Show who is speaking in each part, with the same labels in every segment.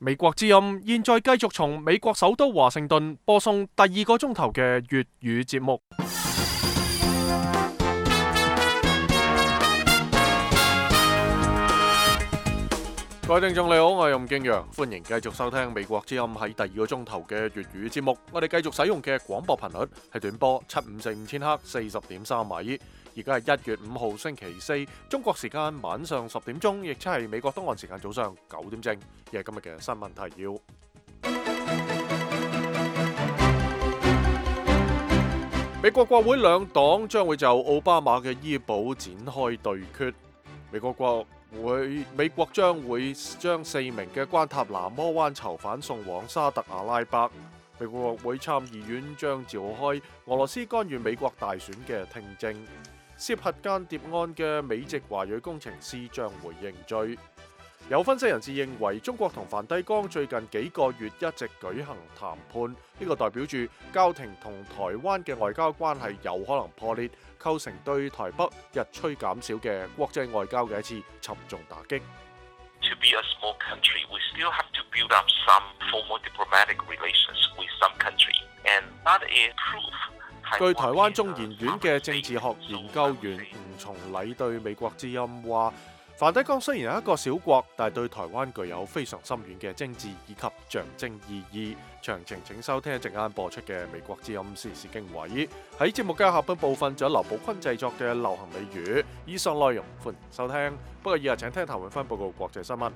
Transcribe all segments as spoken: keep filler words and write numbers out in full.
Speaker 1: 美國之音現在繼續從美國首都華盛頓播送第二個鐘頭嘅粵語節目。各位聽眾你好，我係吳敬陽，歡迎繼續收聽美國之音喺第二個鐘頭嘅粵語節目。我哋繼續使用嘅廣播頻率係短波七五四五千赫四十點三米。而家係一月五號星期四，中國時間晚上十點鐘，亦即係美國東岸時間早上九點正。亦係今日嘅新聞提要。美國國會兩黨將會就奧巴馬嘅醫保展開對決。美國國會美國將會將四名嘅關塔那摩灣囚犯送往沙特阿拉伯。美國國會參議院將召開俄羅斯干預美國大選嘅聽證。涉核間諜案嘅美籍華裔工程師將會認罪。有分析人士認為，中國同梵蒂岡最近幾個月一直舉行談判，呢個代表住教廷同台灣嘅外交關係有可能破裂，構成對台北日趨減少嘅國際外交嘅一次沉重打擊。
Speaker 2: To be a small country, we still have to build up some formal diplomatic relations with some country, and that is proof.
Speaker 1: 據台灣中研院嘅政治學研究員吳松禮對美國之音話，梵蒂岡雖然係一個小國，但係對台灣具有非常深遠嘅政治以及象徵意義。詳情請收聽一陣間播出嘅美國之音時事經緯。喺節目嘅下半部分，仲有劉寶坤製作嘅流行美語。以上內容歡迎收聽。不過以下請聽譚永芬報告國際新聞。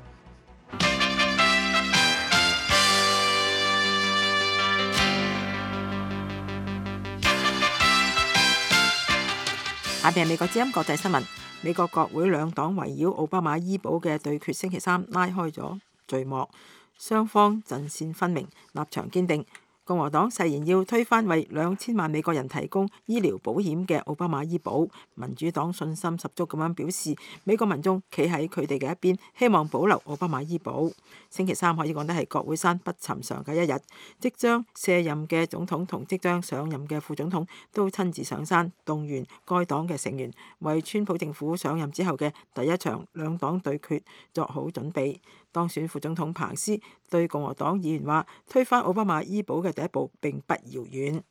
Speaker 3: 下邊係美國之音國際新聞。美國國會兩黨圍繞奧巴馬醫保嘅對決，星期三拉開咗序幕，雙方陣線分明，立場堅定。共和黨誓言要推翻為兩千萬美國人提供醫療保險嘅奧巴馬醫保，民主黨信心十足咁樣表示，美國民眾企喺佢哋嘅一邊，希望保留奧巴馬醫保。星期三可以講得係國會山不尋常嘅一日，即將卸任嘅總統同即將上任嘅副總統都親自上山動員該黨嘅成員，為川普政府上任之後嘅第一場兩黨對決作好準備。當選副總統彭斯對共和黨議員話，推翻奧巴馬醫保嘅第一步並不遙遠。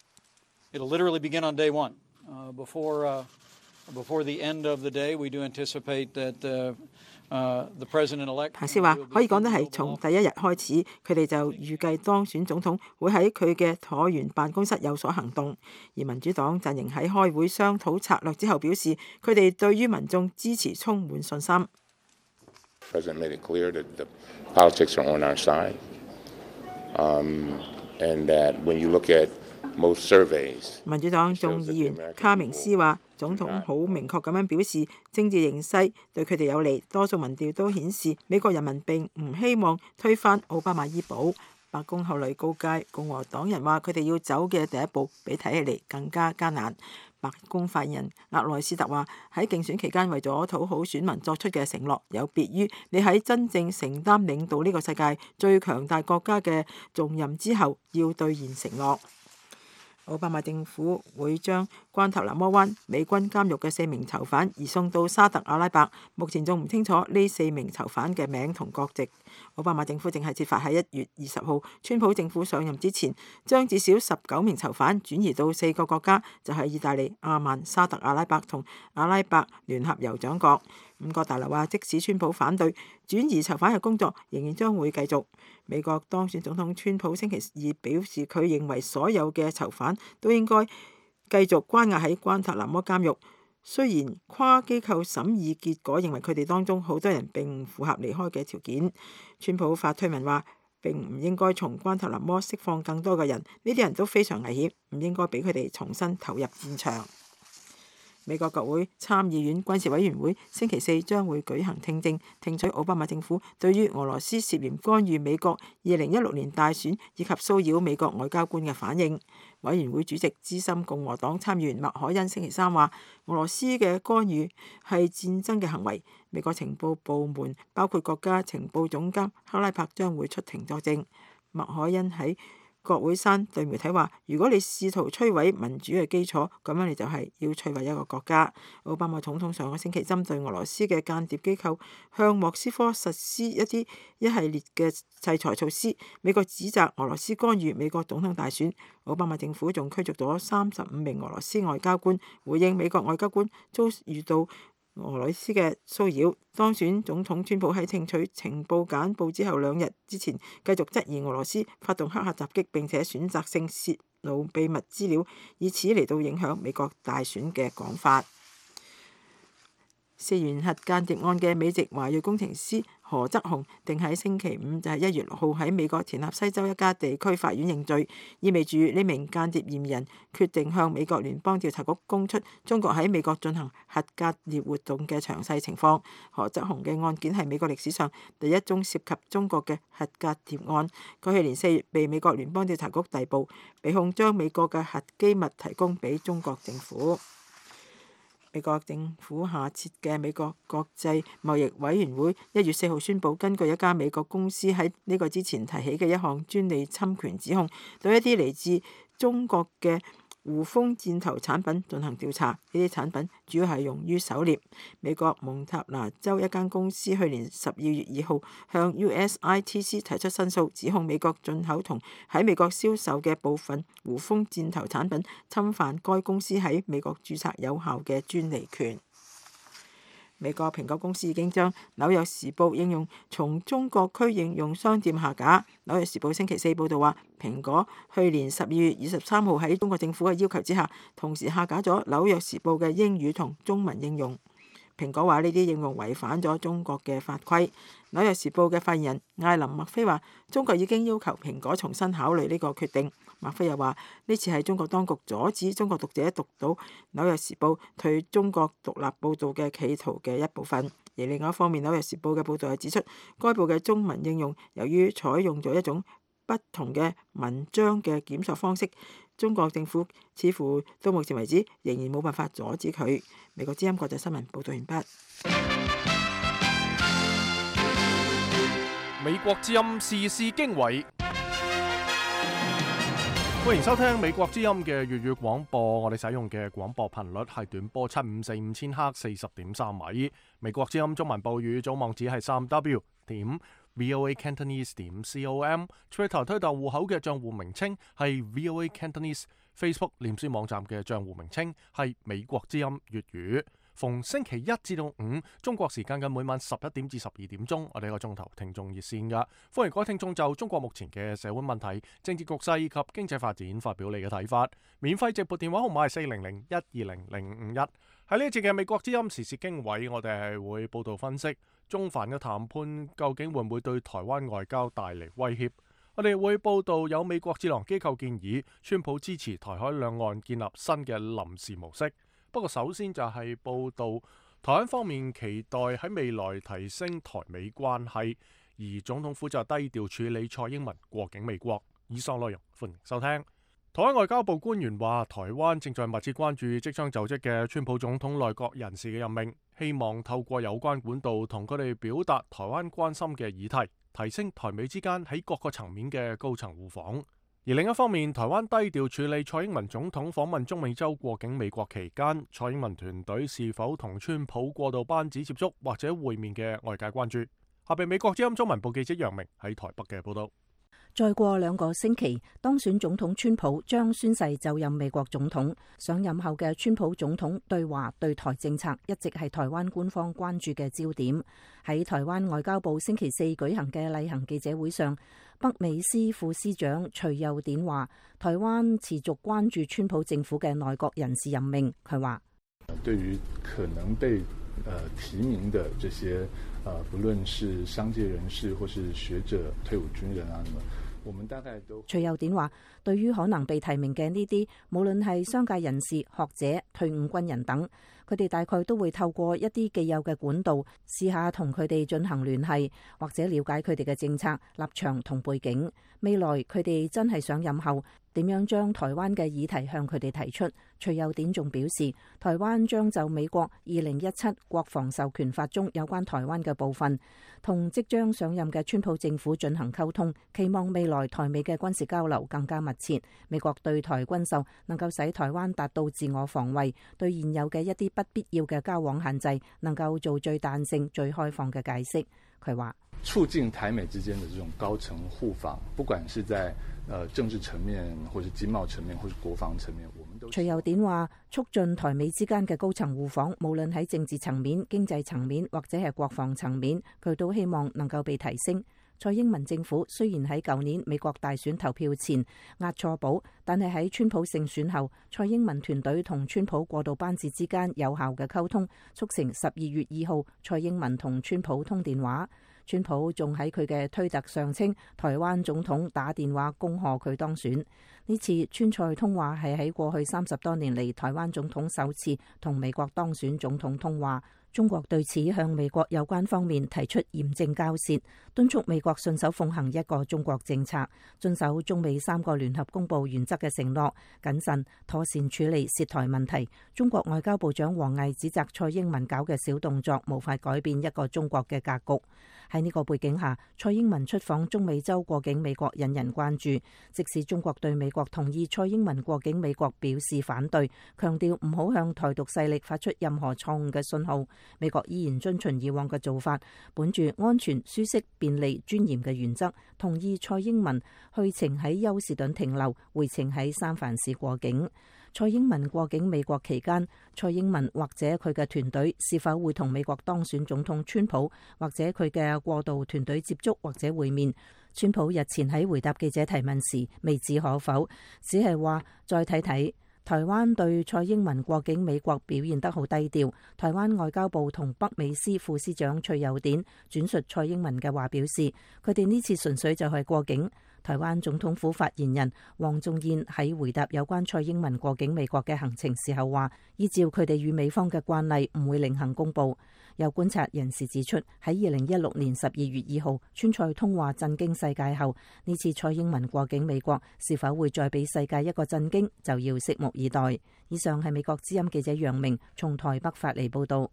Speaker 4: It'll literally begin on day one. Uh, before, uh, before the end of the day, we do anticipate that uh, uh, the president-elect.
Speaker 3: 彭斯話可以講得係從第一日開始，佢哋就預計當選總統會喺佢嘅橢圓辦公室有所行動。而民主黨陣營喺開會商討策略之後表示，佢哋對於民眾支持充滿信心。
Speaker 5: President made it clear that the politics are on our side, um, and that when you look at most surveys，
Speaker 3: 民主黨眾議員卡明斯話，總統好明確咁樣表示，政治形勢對佢哋有利。多數民調都顯示，美國人民並唔希望推翻奧巴馬醫保。白宮後來告誡共和黨人話，佢哋要走嘅第一步比睇起嚟更加艱難。白宮發言人額內斯特話，喺競選期間為咗討好選民作出嘅承諾，有別於你喺真正承擔領導呢個世界最強大國家嘅重任之後要兌現承諾。奧巴馬政府會將關塔那摩灣美軍監獄嘅四名囚犯移送到沙特阿拉伯，目前仲唔清楚呢四名囚犯嘅名同國籍。奧巴馬政府正係設法喺一月二十號川普政府上任之前，將至少十九名囚犯轉移到四個國家，就係意大利、阿曼、沙特阿拉伯同阿拉伯聯合酋長國。五角大樓話，即使川普反對，轉移囚犯嘅工作仍然將會繼續。美國當選總統川普星期二表示，佢認為所有嘅囚犯都應該繼續關押喺關塔那摩監獄。雖然跨機構審議結果認為佢哋當中好多人並唔符合離開嘅條件，川普發推文話並唔應該從關塔那摩釋放更多嘅人，呢啲人都非常危險，唔應該俾佢哋重新投入戰場。美國國會參議院軍事委員會星期四將會舉行聽證，聽取奧巴馬政府對於俄羅斯涉嫌干預美國二零一六年大選以及騷擾美國外交官嘅反應。委員會主席資深共和黨參議員麥凱恩星期三話，俄羅斯嘅干預係戰爭嘅行為。美國情報部門包括國家情報總監克拉柏將會出庭作證。麥凱恩喺國會山對媒體話：如果你試圖摧毀民主嘅基礎，咁樣你就係要摧毀一個國家。奧巴馬總統上個星期針對俄羅斯嘅間諜機構向莫斯科實施一啲一系列嘅制裁措施。美國指責俄羅斯干預美國總統大選。奧巴馬政府仲驅逐咗三十五名俄羅斯外交官，回應美國外交官遭遇到俄羅斯嘅騷擾。當選總統川普喺聽取情報簡報之後兩日之前，繼續質疑俄羅斯發動黑客襲擊，並且選擇性泄露秘密資料，以此嚟到影響美國大選嘅講法。涉嫌核間諜案嘅美籍華裔工程師何則雄定喺星期五就係一月六號喺美國田納西州一家地區法院認罪，意味住呢名間諜嫌疑人決定向美國聯邦調查局供出中國喺美國進行核間諜活動嘅詳細情況。何則雄嘅案件係美國歷史上第一宗涉及中國嘅核間諜案，佢去年四月被美國聯邦調查局逮捕，被控將美國嘅核機密提供俾中國政府。美國政府下設嘅美國國際貿易委員會一月四號宣布，根據一家美國公司喺呢個之前提起嘅一項專利侵權指控，對一啲嚟自中國嘅胡蜂箭頭產品進行調查。呢啲產品主要係用於狩獵。美國蒙塔拿州一間公司去年十二月二號向 U S I T C 提出申訴，指控美國進口同喺美國銷售嘅部分胡蜂箭頭產品侵犯該公司喺美國註冊有效嘅專利權。美國蘋果公司已經將紐約時報應用從中國區應用商店下架。紐約時報星期四報導話，蘋果去年十二月二十三號喺中國政府嘅要求之下，同時下架咗紐約時報嘅英語同中文應用。蘋果話呢啲應用違反咗中國嘅法規。紐約時報嘅發言人艾琳麥菲話，中國已經要求蘋果重新考慮呢個決定。麥菲又話，呢次係中國當局阻止中國讀者讀到紐約時報對中國獨立報導嘅企圖嘅一部分。而另外一方面，紐約時報嘅報導係指出，該報嘅中文應用由於採用咗一種不同嘅文章嘅檢索方式，中國政府似乎到目前為止仍然冇辦法阻止佢。美國之音國際新聞報導完畢。
Speaker 1: 美國之音時事經緯，歡迎收聽美國之音嘅粵語廣播。我哋使用嘅廣播頻率係短波七五四五千赫四十點三米。美國之音中文報語總網址係三 W 點 VOA Cantonese 點 com。Twitter 推特戶口嘅賬戶名稱係 VOA Cantonese。Facebook 臉書網站嘅賬戶名稱係美國之音粵語。逢星期一至到五，中國時間嘅每晚十一點至十二點鐘，我哋一個鐘頭聽眾熱線噶，歡迎各位聽眾就中國目前嘅社會問題、政治局勢以及經濟發展發表你嘅睇法。免費直撥電話號碼係四零零一二零零五一。喺呢一節嘅美國之音時事經緯，我哋係會報道分析中梵嘅談判究竟會唔會對台灣外交帶嚟威脅。我哋會報道有美國智囊機構建議，川普支持台海兩岸建立新嘅臨時模式。不過首先就係報道台灣方面期待喺未來提升台美關係，而總統府就低調處理蔡英文過境美國。以上內容歡迎收聽。台灣外交部官員話，台灣正在密切關注即將就職嘅川普總統內閣人士嘅任命，希望透過有關管道同佢哋表達台灣關心嘅議題，提升台美之間喺各個層面嘅高層互訪。而另一方面，台灣低調處理蔡英文總統訪問中美洲過境美國期間，蔡英文團隊是否同川普過渡班子接觸或者會面嘅外界關注。下邊美國之音中文部記者楊明喺台北嘅報道。
Speaker 6: 再過兩個星期，當選總統川普將宣誓就任美國總統。上任後嘅川普總統對華對台政策一直係台灣官方關注嘅焦點。喺台灣外交部星期四舉行嘅例行記者會上，北美司副司長徐佑典話，台灣持續關注川普政府嘅內閣人事任命。佢話：
Speaker 7: 對於可能被呃提名的這些呃，不論是商界人士或是學者、退伍軍人啊，我們大概都。
Speaker 6: 徐佑典話，對於可能被提名嘅呢啲，無論係商界人士、學者、退伍軍人等，佢哋大概都會透過一啲既有嘅管道試下同佢哋進行聯繫，或者了解佢哋嘅政策立場同背景。未來佢哋真係上任後點樣將台灣嘅議題向佢哋提出。徐佑典仲表示，台灣將就美國二零一七國防授權法中有關台灣嘅部分，同即將上任嘅川普政府進行溝通，期望未來台美嘅軍事交流更加密切。美國對台軍售能夠使台灣達到自我防衛，對現有嘅一啲不必要嘅交往限制能夠做最彈性、最開放嘅解釋。佢話
Speaker 7: 促進台美之間的這種高層互訪，不管是在呃政治層面，或是經貿層面，或是國防層面，我們都。
Speaker 6: 徐佑典話，促進台美之間嘅高層互訪，無論喺政治層面、經濟層面或者係國防層面，佢都希望能夠被提升。蔡英文政府雖然喺舊年美國大選投票前押錯寶，但係喺川普勝選後，蔡英文團隊同川普過渡班子之間有效嘅溝通，促成十二月二號蔡英文同川普通電話。川普仲喺佢嘅推特上稱，台灣總統打電話恭賀佢當選。呢次川蔡通話係喺過去三十多年嚟台灣總統首次同美國當選總統通話。中國對此向美國有關方面提出嚴正交涉，敦促美國信守奉行一個中國政策，遵守中美三個聯合公佈原則嘅承諾，謹慎妥善處理涉台問題。中國外交部長王毅指責蔡英文搞嘅小動作無法改變一個中國嘅格局。喺呢個背景下，蔡英文出訪中美洲過境美國引人關注。即使中國對美國同意蔡英文過境美國表示反對，強調唔好向台獨勢力發出任何錯誤嘅信號，美國依然遵循以往嘅做法，本住安全、舒適、便利、尊嚴嘅原則，同意蔡英文去程喺休士頓停留，回程喺三藩市過境。蔡英文過境美國期間，蔡英文或者佢嘅團隊是否會同美國當選總統川普或者佢嘅過渡團隊接觸或者會面？川普日前喺回答記者提問時未置可否，只係話再睇睇。台灣對蔡英文過境美國表現得好低調。台灣外交部同北美司副司長徐佑典轉述蔡英文嘅話表示，佢哋呢次純粹就係過境。台灣總統府發言人黃仲彥喺回答有關蔡英文過境美國嘅行程時候話，依照佢哋與美方嘅慣例，唔會另行公佈。有觀察人士指出，喺二零一六年十二月二號川蔡通話震驚世界後，呢次蔡英文過境美國是否會再俾世界一個震驚，就要拭目以待。以上係美國之音記者楊明從台北發嚟報道。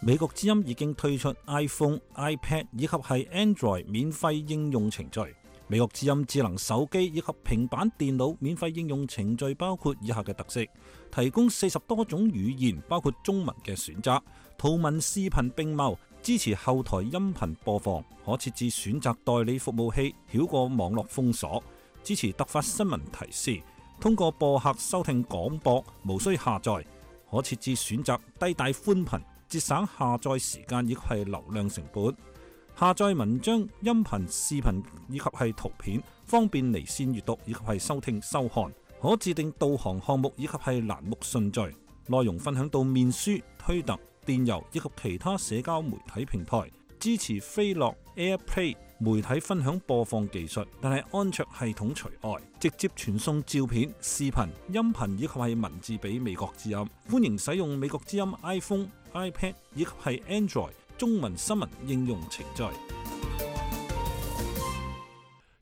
Speaker 8: 美國之音已經推出 iPhone、iPad 以及係 Android 免費應用程序。美國之音智能手機以及平板電腦免費應用程序包括以下嘅特色：提供四十多種語言，包括中文嘅選擇，圖文視頻並茂，支持後台音頻播放，可設置選擇代理服務器，繞過網絡封鎖，支持突發新聞提示，通過播客收聽廣播，無需下載，可設置選擇低帶寬頻，節省下載時間以及係流量成本。下載文章、音頻、視頻以及係圖片，方便離線閱讀以及係收聽收看。可自定導航項目以及係欄目順序。內容分享到面書、推特、電郵以及其他社交媒體平台。支持飛樂 AirPlay 媒體分享播放技術，但係安卓系統除外。直接傳送照片、視頻、音頻以及係文字俾美國之音。歡迎使用美國之音 iPhone、iPad 以及係 Android中文新聞應用程序。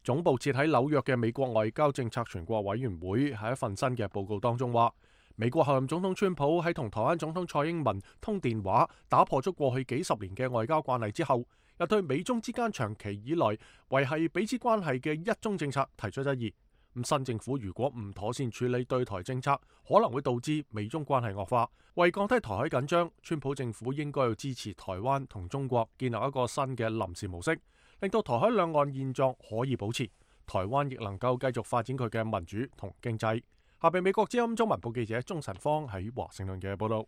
Speaker 1: 總部設喺紐約嘅美國外交政策全國委員會喺一份新嘅報告當中話，美國候任總統川普喺同台灣總統蔡英文通電話，打破咗過去幾十年嘅外交慣例之後，又對美中之間長期以來維繫彼此關係嘅一中政策提出質疑。咁新政府如果唔妥善處理對台政策，可能會導致美中關係惡化。為降低台海緊張，川普政府應該要支持台灣同中國建立一個新嘅臨時模式，令到台海兩岸現狀可以保持，台灣亦能夠繼續發展佢嘅民主同經濟。下邊美國之音中文部記者鍾晨芳喺華盛頓嘅報道。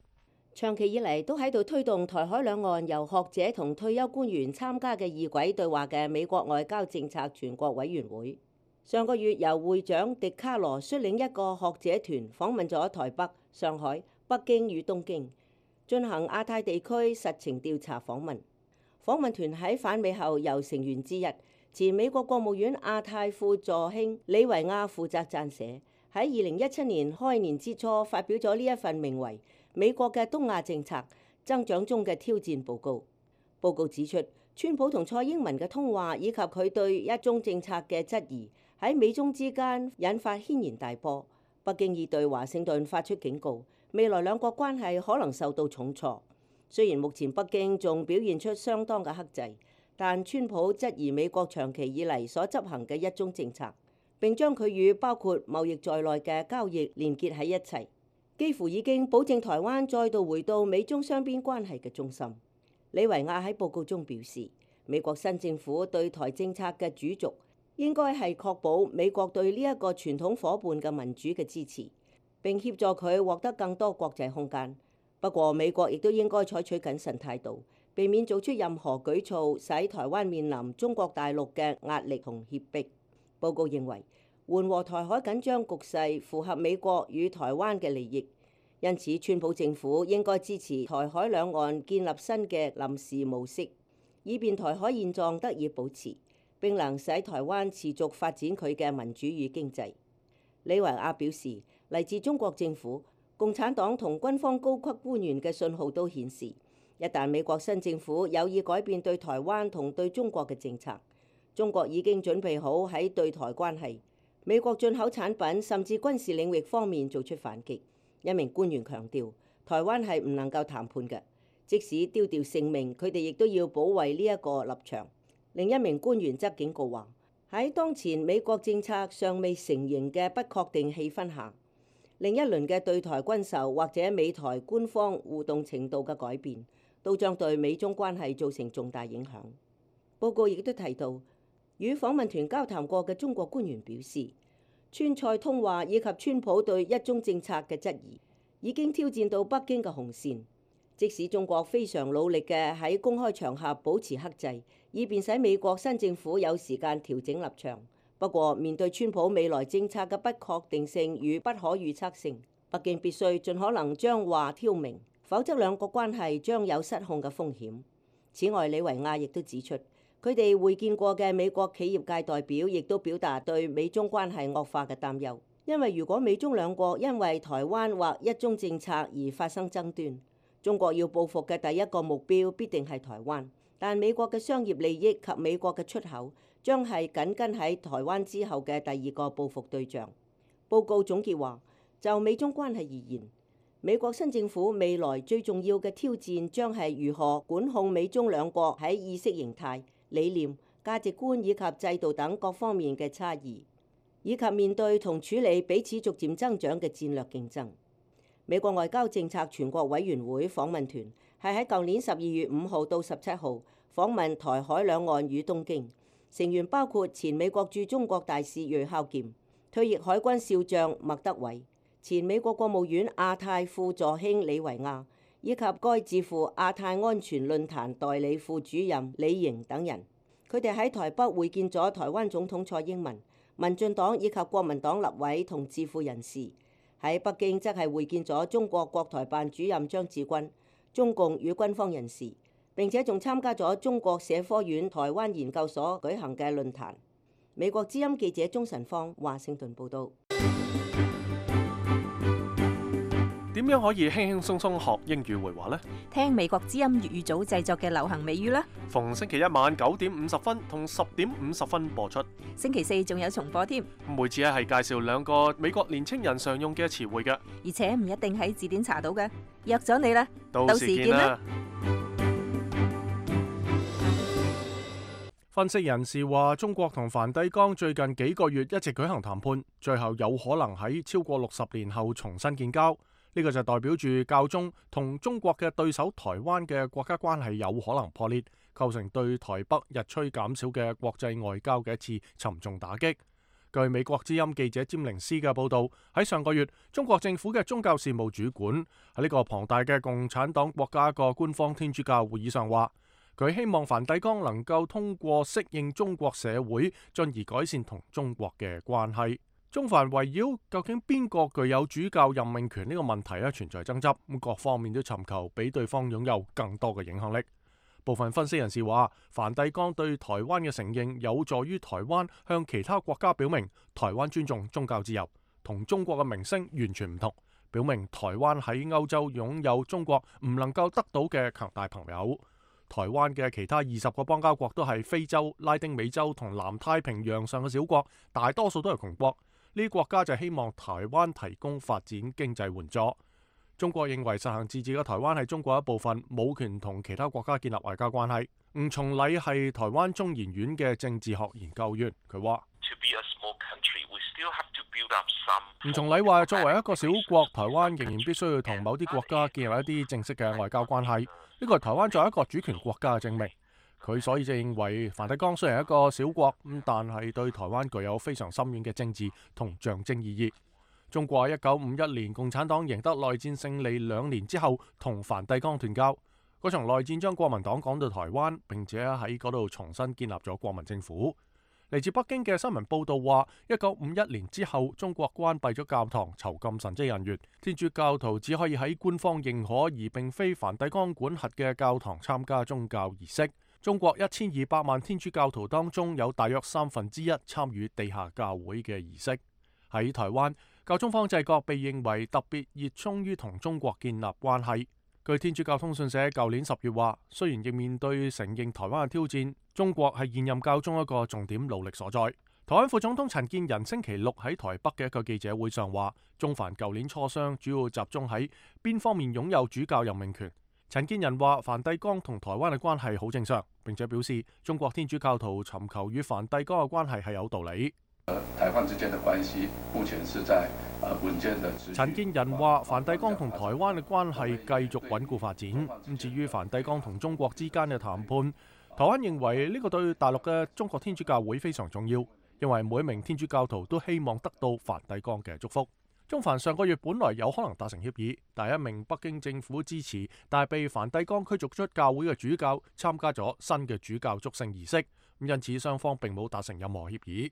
Speaker 9: 長期以嚟都喺度推動台海兩岸由學者同退休官員參加嘅異軌對話嘅美國外交政策全國委員會，上個月由會長迪卡羅率領一個學者團訪問咗台北、上海、北京與東京，進行亞太地區實情調查訪問。訪問團喺返美後，由成員之一前美國國務院亞太副助卿李維亞負責撰寫，喺二零一七年開年之初發表咗呢一份名為《美國嘅東亞政策增長中嘅挑戰》報告。報告指出，川普同蔡英文嘅通話以及佢對一中政策嘅質疑，喺美中之間引發軒然大波。北京已對華盛頓發出警告，未來兩國關係可能受到重挫。雖然目前北京仲表現出相當嘅克制，但川普質疑美國長期以嚟所執行嘅一中政策，並將佢與包括貿易在內嘅交易連結喺一齊，幾乎已經保證台灣再度回到美中雙邊關係嘅中心。李維亞喺報告中表示，美國新政府對台政策嘅主軸應該係確保美國對呢一個傳統夥伴嘅民主嘅支持，並協助佢獲得更多國際空間。不過，美國亦都應該採取謹慎態度，避免做出任何舉措使台灣面臨中國大陸嘅壓力同脅迫。報告認為，緩和台海緊張局勢符合美國與台灣嘅利益。因此，川普政府應該支持台海兩岸建立新嘅臨時模式，以便台海現狀得以保持，並能使台灣持續發展佢嘅民主與經濟。李維亞表示，嚟自中國政府、共產黨同軍方高級官員嘅信號都顯示，一旦美國新政府有意改變對台灣同對中國嘅政策，中國已經準備好喺對台關係、美國進口產品甚至軍事領域方面做出反擊。一名官員強調，台灣係唔能夠談判嘅，即使丟掉性命，佢哋亦都要保衛呢一個立場。另一名官員則警告話，喺當前美國政策尚未成型嘅不確定氣氛下，另一輪嘅對台軍售或者美台官方互動程度嘅改變，都將對美中關係造成重大影響。報告亦都提到，與訪問團交談過嘅中國官員表示，川蔡通話以及川普對一中政策嘅質疑，已經挑戰到北京嘅紅線。即使中國非常努力嘅喺公開場合保持克制，以便使美國新政府有時間調整立場。不過，面對川普未來政策嘅不確定性與不可預測性，北京必須盡可能將話挑明，否則兩國關係將有失控嘅風險。此外，李維亞亦都指出，佢哋會見過嘅美國企業界代表亦都表達對美中關係惡化嘅擔憂，因為如果美中兩國因為台灣或一中政策而發生爭端，中國要報復嘅第一個目標必定係台灣，但美國嘅商業利益及美國嘅出口將係緊跟喺台灣之後嘅第二個報復對象。報告總結話，就美中關係而言，美國新政府未來最重要嘅挑戰將係如何管控美中兩國喺意識形態、理念、價值觀以及制度等各方面嘅差異，以及面對同處理彼此逐漸增長嘅戰略競爭。美國外交政策全國委員會訪問團係喺舊年十二月五號到十七號訪問台海兩岸與東京，成員包括前美國駐中國大使芮孝儉、退役海軍少將麥德偉、前美國國務院亞太副助卿李維亞，以及該智庫亞太安全論壇代理副主任李瑩等人。佢哋喺台北會見咗台灣總統蔡英文、民進黨以及國民黨立委同智庫人士。喺北京則係會見咗中國國台辦主任張志軍、中共與軍方人士，並且仲參加咗中國社科院台灣研究所舉行嘅論壇。美國之音記者鍾晨芳華盛頓報導。
Speaker 1: 點樣可以輕輕鬆鬆學英語會話呢？
Speaker 6: 聽美國之音粵語組製作嘅流行美語啦！
Speaker 1: 逢星期一晚九點五十分同十點五十分播出，
Speaker 6: 星期四仲有重播添。
Speaker 1: 每次咧係介紹兩個美國年青人常用嘅詞彙嘅，
Speaker 6: 而且唔一定喺字典查到嘅。約咗你啦，
Speaker 1: 到時見啦！分析人士話，中國同梵蒂岡最近幾個月一直舉行談判，最後有可能喺超過六十年後重新建交。呢個就代表住教宗同中國嘅對手台灣嘅國家關係有可能破裂，構成對台北日趨減少嘅國際外交嘅一次沉重打擊。據美國之音記者詹寧斯嘅報導，喺上個月，中國政府嘅宗教事務主管喺呢個龐大嘅共產黨國家個官方天主教會議上話，佢希望梵蒂岡能夠通過適應中國社會，進而改善同中國嘅關係。中梵圍繞究竟邊個具有主教任命權呢個問題咧存在爭執，咁各方面都尋求俾對方擁有更多嘅影響力。部分分析人士話，梵蒂岡對台灣嘅承認有助於台灣向其他國家表明台灣尊重宗教自由，同中國嘅名聲完全唔同，表明台灣喺歐洲擁有中國唔能夠得到嘅強大朋友。台灣嘅其他二十個邦交國都係非洲、拉丁美洲同南太平洋上嘅小國，大多數都係窮國。呢啲國家就希望台灣提供發展經濟援助。中國認為實行自治嘅台灣係中國一部分，冇權同其他國家建立外交關係。吳松禮係台灣中研院嘅政治學研究員，佢話：吳松禮話，作為一個小國，台灣仍然必須要同某啲國家建立一啲正式嘅外交關係。呢個係台灣作為一個主權國家嘅證明。佢所以就認為梵蒂岡雖然係一個小國，咁但係對台灣具有非常深遠嘅政治同象徵意義。中國一九五一年共產黨贏得內戰勝利兩年之後，同梵蒂岡斷交。嗰場內戰將國民黨趕到台灣，並且喺嗰度重新建立咗國民政府。嚟自北京嘅新聞報道話，一九五一年之後，中國關閉咗教堂，囚禁神職人員，天主教徒只可以喺官方認可而並非梵蒂岡管轄嘅教堂參加宗教儀式。中國一千二百萬天主教徒當中，有大約三分之一參與地下教會嘅儀式。喺台灣，教宗方濟各被認為特別熱衷於同中國建立關係。據天主教通訊社舊年十月話，雖然亦面對承認台灣嘅挑戰，中國係現任教宗一個重點努力所在。台灣副總統陳建仁星期六喺台北嘅一個記者會上話，中梵舊年磋商主要集中喺邊方面擁有主教任命權。陳建仁話，梵蒂岡同台灣嘅關係好正常，並且表示中國天主教徒尋求與梵蒂岡嘅關係係有道理。
Speaker 10: 台灣之間的關係目前是在穩健的。
Speaker 1: 陳建仁話，梵蒂岡同台灣嘅關係繼續穩固發展。咁至於梵蒂岡同中國之間嘅談判，台灣認為呢個對大陸嘅中國天主教會非常重要，因為每一名天主教徒都希望得到梵蒂岡嘅祝福。中梵上個月本來有可能達成協議，但一名北京政府支持但係被梵蒂岡驅逐出教會嘅主教參加咗新嘅主教祝聖儀式，因此雙方並冇達成任何協議。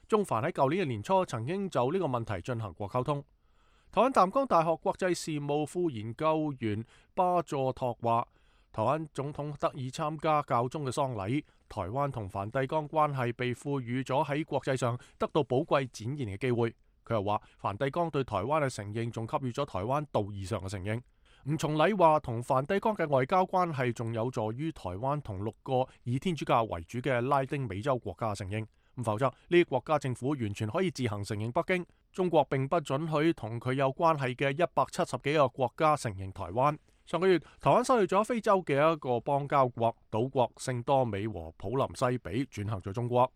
Speaker 1: 中梵喺舊年嘅年初曾經就呢個問題進行過溝通。台灣淡江大學國際事務副研究員巴佐托話，台灣總統得以參加教宗嘅喪禮，台灣同梵蒂岡關係被賦予咗喺國際上得到寶貴展現嘅機會。佢又話，梵蒂岡對台灣嘅承認仲給予咗台灣道義上嘅承認。吳松禮話，同梵蒂岡嘅外交關係仲有助於台灣同六個以天主教為主嘅拉丁美洲國家嘅承認。咁否則，呢啲國家政府完全可以自行承認北京。中國並不准許同佢有關係嘅一百七十幾個國家承認台灣。上個月，台灣失去咗非洲嘅一個邦交國島國聖多美和普林西比，轉向咗中國。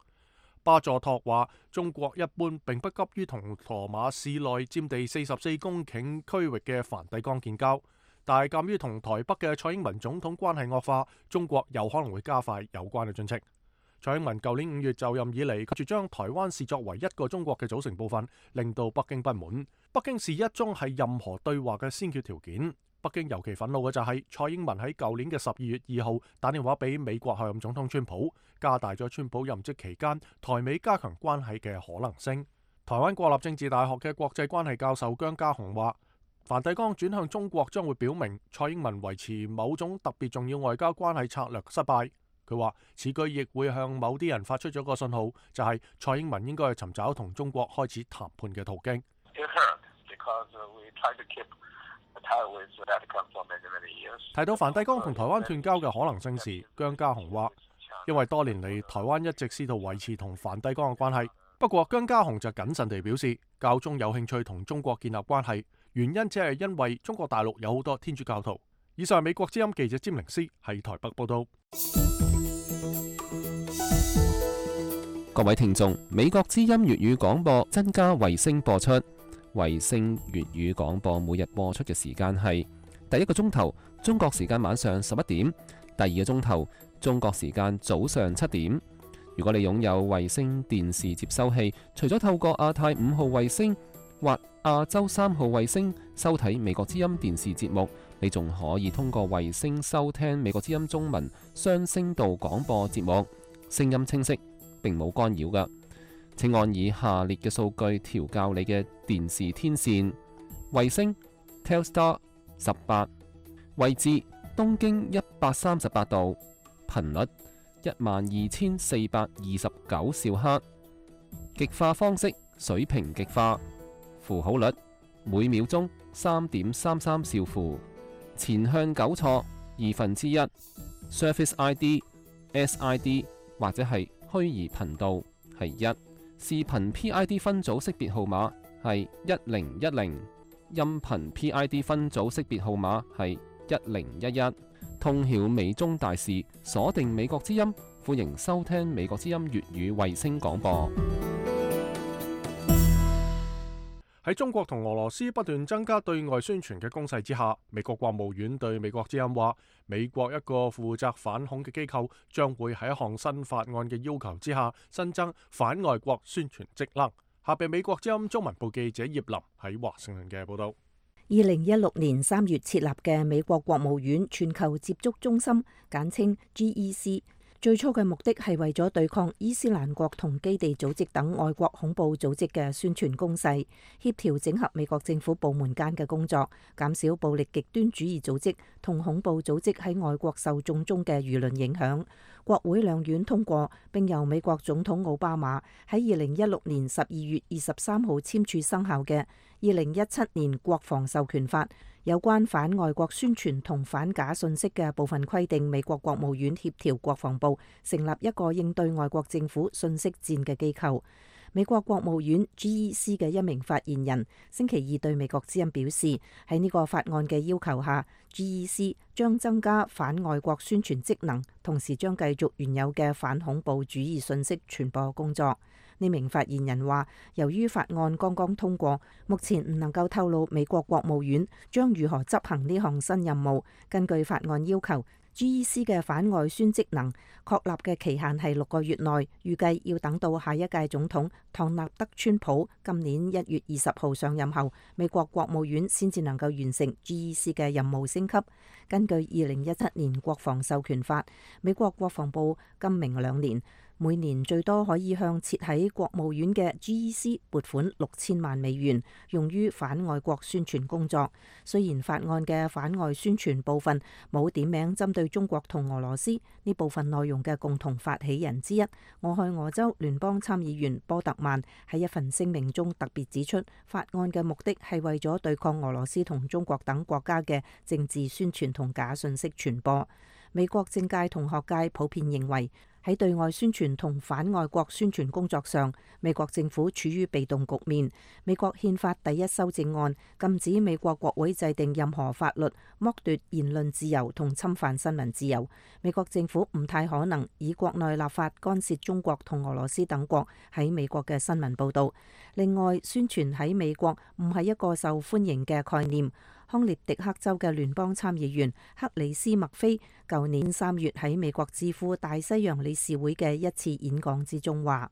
Speaker 1: 巴佐托話，中國一般並不急於同羅馬市內佔地四十四公頃區域嘅梵蒂岡建交，但係鑑於同台北嘅蔡英文總統關係惡化，中國有可能會加快有關嘅進程。蔡英文舊年五月就任以嚟，拒絕將台灣視作為一個中國嘅組成部分，令到北京不滿。北京視一中係任何對話嘅先決條件。北京尤其憤怒嘅就係蔡英文喺舊年嘅十二月二號打電話俾美國候任總統川普，加大咗川普任職期間台美加強關係嘅可能性。台灣國立政治大學嘅國際關係教授姜家雄話，梵蒂岡轉向中國將會表明蔡英文維持某種特別重要外交關係策略失敗。佢話此舉亦會向某啲人發出咗個信號，就係蔡英文應該去尋找同中國開始談判嘅途徑。提到梵蒂岡同台灣斷交嘅可能性時，姜家雄話，因為多年嚟台灣一直試圖維持同梵蒂岡嘅關係。不過姜家雄就謹慎地表示，教宗有興趣同中國建立關係，原因只係因為中國大陸有好多天主教徒。以上係美國之音記者詹寧斯喺台北報道。
Speaker 11: 各位聽眾，美國之音粵語廣播增加衛星播出。衛星粵語廣播每日播出嘅時間係第一個鐘頭中國時間晚上十一點，第二個鐘頭中國時間早上七點。如果你擁有衛星電視接收器，除咗透過亞太五號衛星或亞洲三號衛星收睇美國之音電視節目，你仲可以通過衛星收聽美國之音中文雙聲道廣播節目，聲音清晰，並冇干擾㗎。請按以下列嘅數據調校你嘅電視天線：衛星 Telstar 十八，位置東經一百三十八度，頻率一萬二千四百二十九兆赫，極化方式水平極化。符號率每秒鐘三點三三兆符，前向糾錯二分之一，Surface I D、S I D 或者係虛擬頻道係一，視頻 P I D 分組識別號碼係一零一零，音頻 P I D 分組識別號碼係一零一一。通曉美中大事，鎖定美國之音，歡迎收聽美國之音粵語衛星廣播。
Speaker 1: 喺中國同俄羅斯不斷增加對外宣傳嘅攻勢之下，美國國務院對美國之音話，美國一個負責反恐嘅機構將會喺一項新法案嘅要求之下，新增反外國宣傳職能。下邊美國之音中文部記者葉林喺華盛頓嘅報道。
Speaker 6: 二零一六年三月設立嘅美國國務院全球接觸中心，簡稱 G E C。最初嘅目的係為咗對抗伊斯蘭國同基地組織等外國恐怖組織嘅宣傳攻勢，協調整合美國政府部門間嘅工作，減少暴力極端主義組織同恐怖組織喺外國受眾中嘅輿論影響。國會兩院通過，並由美國總統奧巴馬喺二零一六年十二月二十三號簽署生效嘅《二零一七年國防授權法》，有關反外國宣傳同反假信息嘅部分規定，美國國務院協調國防部成立一個應對外國政府信息戰嘅機構。美國國務院 G E C 嘅一名發言人星期二對美國之音表示，喺呢個法案嘅要求下， G E C 將增加反外國宣傳職能，同時將繼續原有嘅反恐怖主義信息傳播工作。呢名發言人話，由於法案剛剛通過，目前唔能夠透露美國國務院將如何執行呢項新任務。根據法案要求， G E C 嘅反外宣職能確立嘅期限係六個月內，預計要等到下一屆總統唐納德川普今年一月二十號上任後，美國國務院先至能夠完成 G E C 嘅任務升級。根據二零一七年國防授權法，美國國防部今明兩年每年最多可以向設喺國務院嘅 G E C 撥款六千萬美元，用於反外國宣傳工作。雖然法案嘅反外宣傳部分冇點名針對中國同俄羅斯，呢部分內容嘅共同發起人之一，俄亥俄州聯邦參議員波特曼喺一份聲明中特別指出，法案嘅目的係為咗對抗俄羅斯同中國等國家嘅政治宣傳同假信息傳播。美國政界同學界普遍認為，喺對外宣傳同反外國宣傳工作上，美國政府處於被動局面。美國憲法第一修正案禁止美國國會制定任何法律，剝奪言論自由同侵犯新聞自由。美國政府唔太可能以國內立法干涉中國同俄羅斯等國喺美國嘅新聞報導。另外，宣傳喺美國唔係一個受歡迎嘅概念。康涅狄克州嘅聯邦參議員克里斯麥菲舊年三月喺美國智庫大西洋理事會嘅一次演講之中話，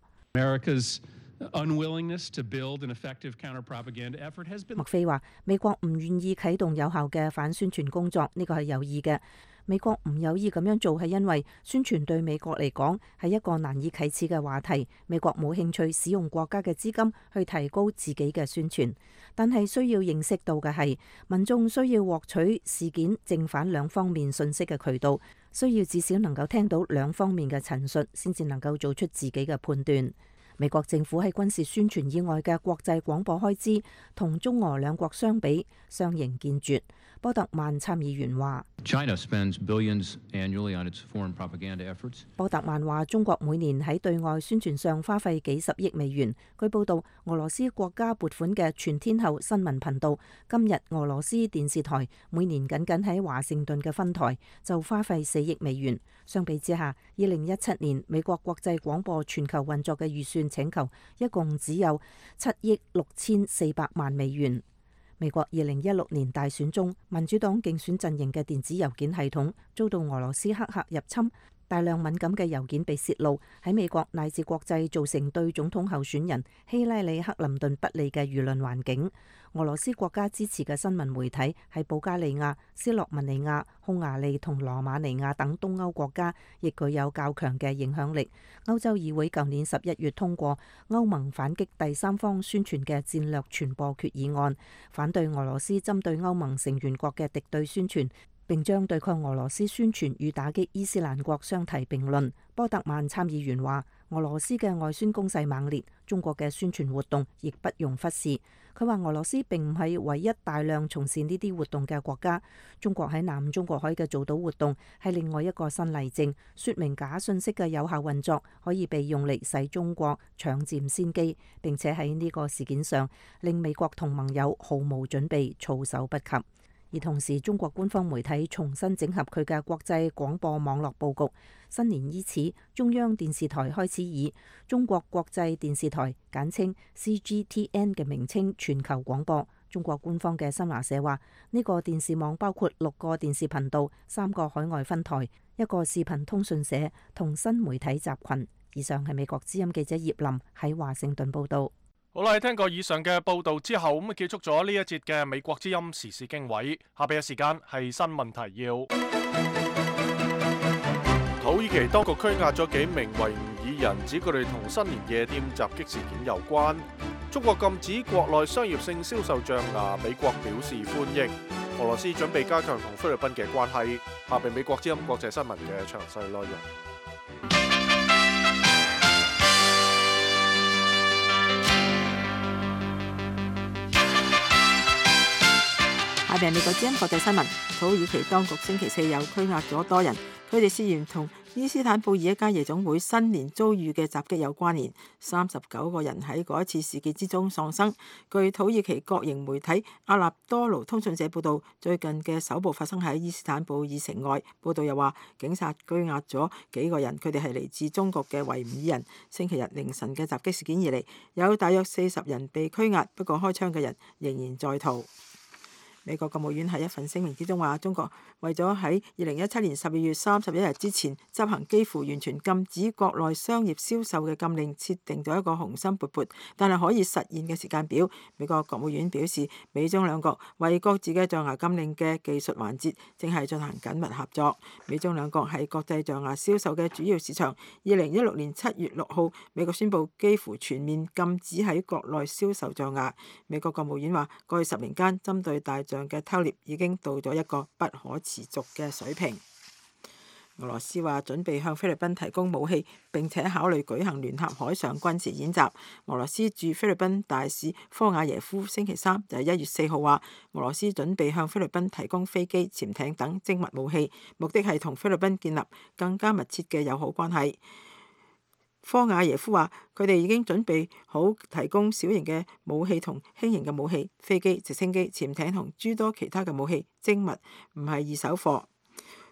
Speaker 6: 麥菲話美國唔願意啟動有效嘅反宣傳工作，呢個係有意嘅。美國唔有意咁樣做係因為宣傳對美國嚟講係一個難以啟齒嘅話題，美國冇興趣使用國家嘅資金去提高自己嘅宣傳。但係需要認識到嘅係，民眾需要獲取事件正反兩方面信息嘅渠道，需要至少能夠聽到兩方面嘅陳述，先至能夠做出自己嘅判斷。美國政府喺軍事宣傳以外嘅國際廣播開支同中俄兩國相比相形見絀。波特曼參議員話，波特曼話中國每年喺對外宣傳上花費幾十億美元。據報道，俄羅斯國家撥款嘅全天候新聞頻道今日俄羅斯電視台每年僅僅喺華盛頓嘅分台就花費四億美元。相比之下，二零一七年美國國際廣播全球運作嘅預算請求一共只有七億六千四百萬美元。美國二零一六年大選中，民主黨競選陣營嘅電子郵件系統遭到俄羅斯黑客入侵，大量敏感嘅郵件被洩露，喺美國乃至國際造成對總統候選人希拉里·克林頓不利嘅輿論環境。俄羅斯國家支持嘅新聞媒體喺保加利亞、斯洛文尼亞、匈牙利同羅馬尼亞等東歐國家亦具有較強嘅影響力。歐洲議會舊年十一月通過歐盟反擊第三方宣傳嘅戰略傳播決議案，反對俄羅斯針對歐盟成員國嘅敵對宣傳，並將對抗俄羅斯宣傳與打擊伊斯蘭國相提並論。波特曼參議員話：俄羅斯嘅外宣攻勢猛烈，中國嘅宣傳活動亦不容忽視。佢話俄羅斯並唔係唯一大量從事呢啲活動嘅國家，中國喺南中國海嘅造島活動係另外一個新例證，說明假信息嘅有效運作可以被用嚟使中國搶佔先機，並且喺呢個事件上令美國同盟友毫無準備，措手不及。而同時，中國官方媒體重新整合佢嘅國際廣播網絡佈局。新年伊始，中央電視台開始以中國國際電視台簡稱 C G T N 嘅名稱全球廣播。中國官方嘅新華社話，呢個電視網包括六個電視頻道、三個海外分台、一個視頻通訊社同新媒體集群。以上係美國之音記者葉林喺華盛頓報導。
Speaker 1: 好啦，聽過以上嘅報導之後，咁啊結束咗呢一節嘅美國之音時事經緯。下邊嘅時間係新聞提要。土耳其當局拘押咗幾名維吾爾人，指佢哋同新年夜店襲擊事件有關。中國禁止國內商業性銷售象牙，美國表示歡迎。俄羅斯準備加強同菲律賓嘅關係。下邊美國之音國際新聞嘅詳細內容。
Speaker 3: 下邊美國之音國際新聞，土耳其當局星期四又拘押咗多人，佢哋涉嫌同伊斯坦布爾一家夜總會新年遭遇嘅襲擊有關聯。三十九個人喺嗰一次事件之中喪生。據土耳其國營媒體阿納多盧通訊社報導，最近嘅首部發生喺伊斯坦布爾城外。報導又話，警察拘押咗幾個人，佢哋係嚟自中國嘅維吾爾人。星期日凌晨嘅襲擊事件以嚟，有大約四十人被拘押，不過開槍嘅人仍然在逃。美國國務院喺一份聲明之中話，中國為咗喺二零一七年十二月三十一日之前執行幾乎完全禁止國內商業銷售嘅禁令，設定咗一個雄心勃勃但係可以實現嘅時間表。美國國務院表示，美中兩國為各自嘅象牙禁令嘅技術環節正係進行緊密合作。美中兩國係國際象牙銷售嘅主要市場。二零一六年七月六號，美國宣布幾乎全面禁止喺國內銷售象牙。美國國務院話，過去十年間針對大象嘅偷獵已經到咗一個不可持續嘅水平。俄羅斯話準備向菲律賓提供武器，並且考慮舉行聯合海上軍事演習。俄羅斯駐菲律賓大使科瓦耶夫星期三就係一月四號話，俄羅斯準備向菲律賓提供飛機、潛艇等精密武器，目的係同菲律賓建立更加密切嘅友好關係。科瓦耶夫話：佢哋已經準備好提供小型嘅武器同輕型嘅武器、飛機、直升機、潛艇同諸多其他嘅武器，精密唔係二手貨。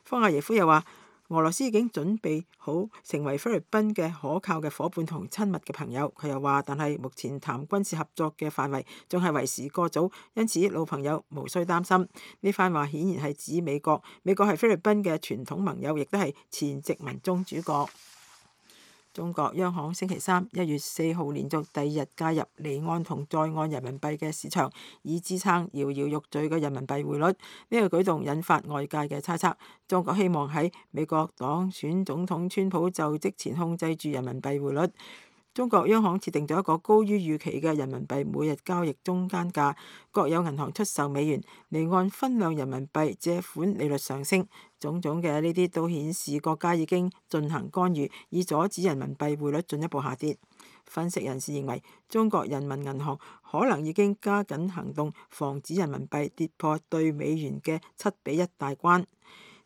Speaker 3: 科瓦耶夫又話：俄羅斯已經準備好成為菲律賓嘅可靠嘅伙伴同親密嘅朋友。佢又話：但係目前談軍事合作嘅範圍仲係為時過早，因此老朋友無需擔心。呢番話顯然係指美國，美國係菲律賓嘅傳統盟友，亦都係前殖民宗主國。中國央行星期三一月四號連續第二日介入離岸同在岸人民幣嘅市場，以支撐搖搖欲墜嘅人民幣匯率。呢個舉動引發外界嘅猜測，中國希望喺美國當選總統川普就職前控制住人民幣匯率。中國央行設定咗一個高於預期嘅人民幣每日交易中間價，國有銀行出售美元，離岸分量人民幣借款利率上升，種種嘅呢啲都顯示國家已經進行干預，以阻止人民幣匯率進一步下跌。分析人士認為，中國人民銀行可能已經加緊行動，防止人民幣跌破對美元嘅七比一大關。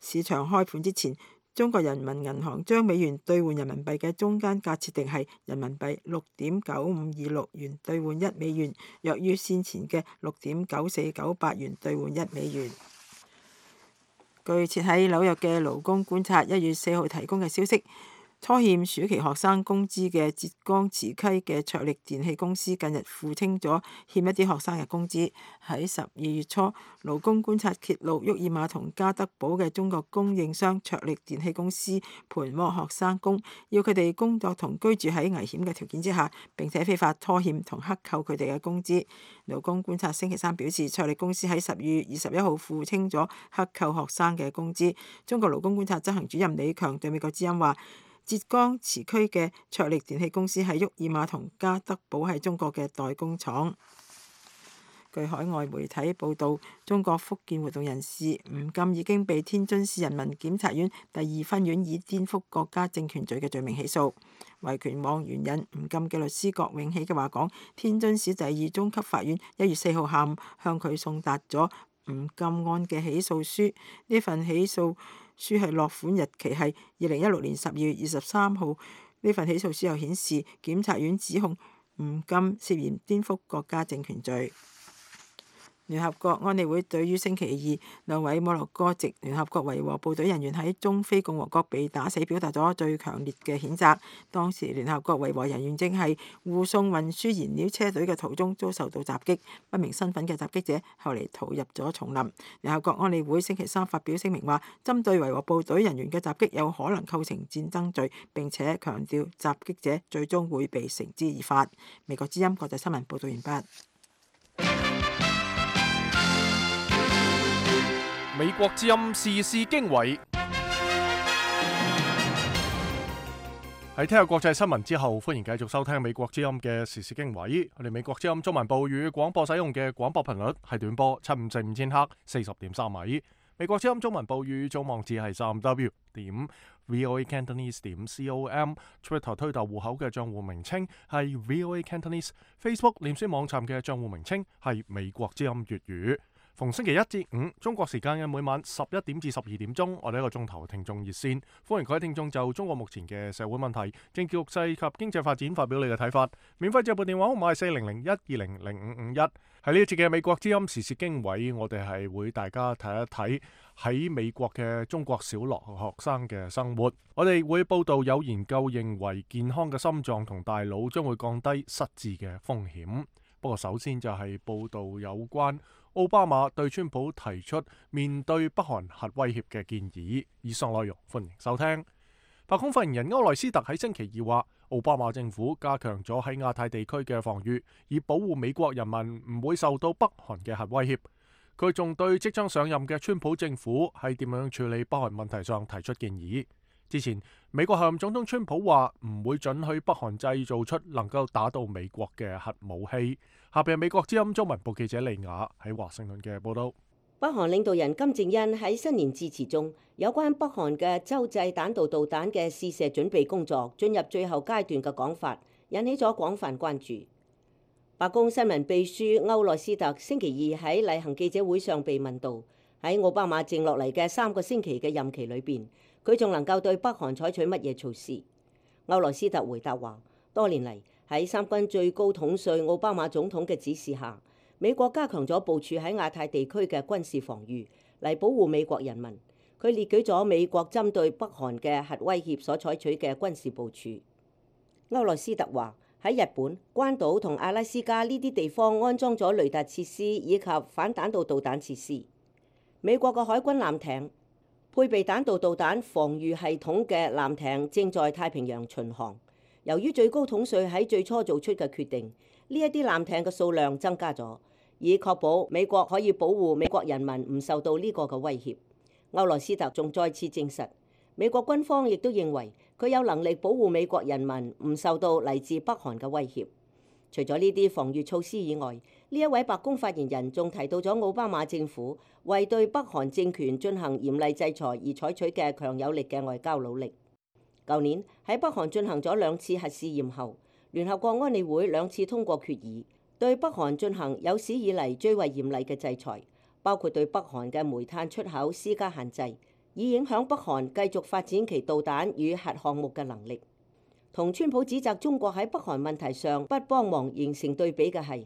Speaker 3: 市場開盤之前，中國人民銀行將美元兌換人民幣嘅中間價設定係人民幣六點九五二六元兌換一美元，弱於先前嘅六點九四九八元兌換一美元。據設喺紐約嘅勞工觀察一月四號提供嘅消息，拖欠暑期學生工資嘅浙江慈溪嘅卓力電器公司近日付清咗欠一啲學生嘅工資。喺十二月初，勞工觀察揭露沃爾瑪同加德堡嘅中國供應商卓力電器公司盤剝學生工，要佢哋工作同居住喺危險嘅條件之下，並且非法拖欠同克扣佢哋嘅工資。勞工觀察星期三表示，卓力公司喺十二月二十一號付清咗克扣學生嘅工資。中國勞工觀察執行主任李強對美國之音話：浙江慈溪嘅卓力電器公司喺沃爾瑪同加德堡係中國嘅代工廠。據海外媒體報道，中國福建活動人士吳禁已經被天津市人民檢察院第二分院以顛覆國家政權罪嘅罪名起訴。維權網援引吳禁嘅律師郭永喜嘅話講，天津市第二中級法院一月四號下午向佢送達咗吳禁案嘅起訴書，呢份起訴書係落款日期係二零一六年十二月二十三號。呢份起訴書又顯示，檢察院指控吳禁涉嫌顛覆國家政權罪。聯合國安理會對於星期二兩位摩洛哥籍聯合國維和部隊人員喺中非共和國被打死表達咗最強烈嘅譴責。當時聯合國維和人員正係護送運輸燃料車隊嘅途中遭受到襲擊，不明身份嘅襲擊者後嚟逃入咗叢林。聯合國安理會星期三發表聲明話，針對維和部隊人員嘅襲擊有可能構成戰爭罪，並且強調襲擊者最終會被繩之以法。美國之音國際新聞報道完畢。
Speaker 1: 美國之音時事經緯。喺聽下國際新聞之後，歡迎繼續收聽美國之音嘅時事經緯。我哋美國之音中文部語廣播使用嘅廣播頻率係短波七五四五千赫四十點三米。美國之音中文部語總網址係三 w 點 voacantonese 點 com。Twitter 推特戶口嘅賬戶名稱係 voacantonese。Facebook 臉書網站嘅賬戶名稱係美國之音粵語。逢星期一至五中國時間嘅每晚十一點至十二點鐘，我哋一個鐘頭聽眾熱線，歡迎各位聽眾就中國目前嘅社會問題、政治局勢及經濟發展發表你嘅睇法。免費接撥電話號碼係四零零一二零零五五一。喺呢一節嘅美國之音時事經緯，我哋係會大家睇一睇喺美國嘅中國小學學生嘅生活。我哋會報道有研究認為健康嘅心臟同大腦將會降低失智嘅風險。不過首先就係報道有關奧巴馬對川普提出面對北韓核威脅嘅建議。以上內容歡迎收聽。白宮發言人歐萊斯特喺星期二話，奧巴馬政府加強咗喺亞太地區嘅防禦，以保護美國人民唔會受到北韓嘅核威脅。佢仲對即將上任嘅川普政府喺點樣處理北韓問題上提出建議。之前美國候任總統川普話唔會准許北韓製造出能夠打到美國嘅核武器。下邊係美國之音中文部記者利亞喺華盛頓嘅報道。
Speaker 9: 北韓領導人金正恩喺新年致辭中，有關北韓嘅洲際彈道導彈嘅試射準備工作進入最後階段嘅講法，引起咗廣泛關注。白宮新聞秘書歐萊斯特星期二喺例行記者會上被問到，喺奧巴馬剩落嚟嘅三個星期嘅任期裏邊，佢仲能夠對北韓採取乜嘢措施？歐萊斯特回答話，多年嚟喺三軍最高統帥奧巴馬總統嘅指示下，美國加強咗部署喺亞太地區嘅軍事防禦，嚟保護美國人民。佢列舉咗美國針對北韓嘅核威脅所採取嘅軍事部署。歐萊斯特話，喺日本、關島同阿拉斯加呢啲地方安裝咗雷達設施以及反彈道導彈設施。美國嘅海軍艦艇、配備彈道導彈防禦系統嘅艦艇正在太平洋巡航。由於最高統帥喺最初做出嘅決定，呢一啲艦艇嘅數量增加咗，以確保美國可以保護美國人民唔受到呢個嘅威脅。歐萊斯特仲再次證實，美國軍方亦都認為佢有能力保護美國人民唔受到嚟自北韓嘅威脅。除咗呢啲防禦措施以外，呢一位白宮發言人仲提到咗奧巴馬政府為對北韓政權進行嚴厲制裁而採取嘅強有力嘅外交努力。舊年喺北韓進行咗兩次核試驗後，聯合國安理會兩次通過決議，對北韓進行有史以嚟最為嚴厲嘅制裁，包括對北韓嘅煤炭出口施加限制，以影響北韓繼續發展其導彈與核項目嘅能力。同川普指責中國喺北韓問題上不幫忙形成對比嘅係，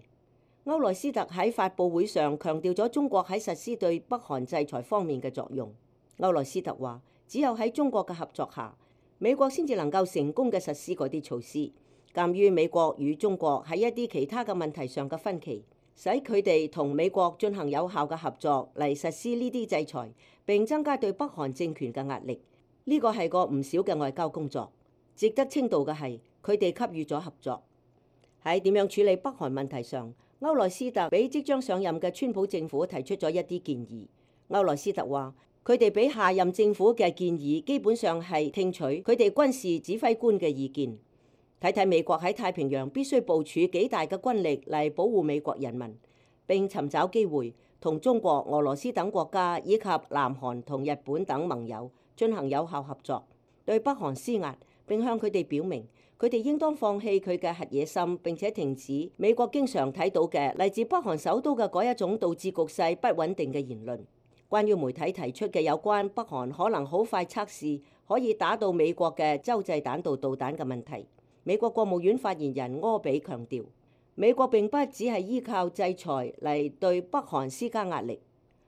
Speaker 9: 歐萊斯特喺發佈會上強調咗中國喺實施對北韓制裁方面嘅作用。歐萊斯特話，只有喺中國嘅合作下，美國先至能夠成功嘅實施嗰啲措施。鑑於美國與中國喺一啲其他嘅問題上嘅分歧，使佢哋同美國進行有效嘅合作嚟實施呢啲制裁，並增加對北韓政權嘅壓力。呢個係個唔少嘅外交工作。值得稱道嘅係，佢哋給予咗合作。喺點樣處理北韓問題上，歐萊斯特俾即將上任嘅川普政府提出咗一啲建議。歐萊斯特話，佢哋俾下任政府嘅建議基本上係聽取佢哋軍事指揮官嘅意見，睇睇美國喺太平洋必須部署幾大嘅軍力嚟保護美國人民，並尋找機會同中國、俄羅斯等國家以及南韓同日本等盟友進行有效合作，對北韓施壓，並向佢哋表明佢哋應當放棄佢嘅核野心，並且停止美國經常睇到嘅嚟自北韓首都嘅嗰一種導致局勢不穩定嘅言論。關於媒體提出嘅有關北韓可能好快測試可以打到美國嘅洲際彈道導彈嘅問題，美國國務院發言人柯比強調，美國並不只係依靠制裁嚟對北韓施加壓力。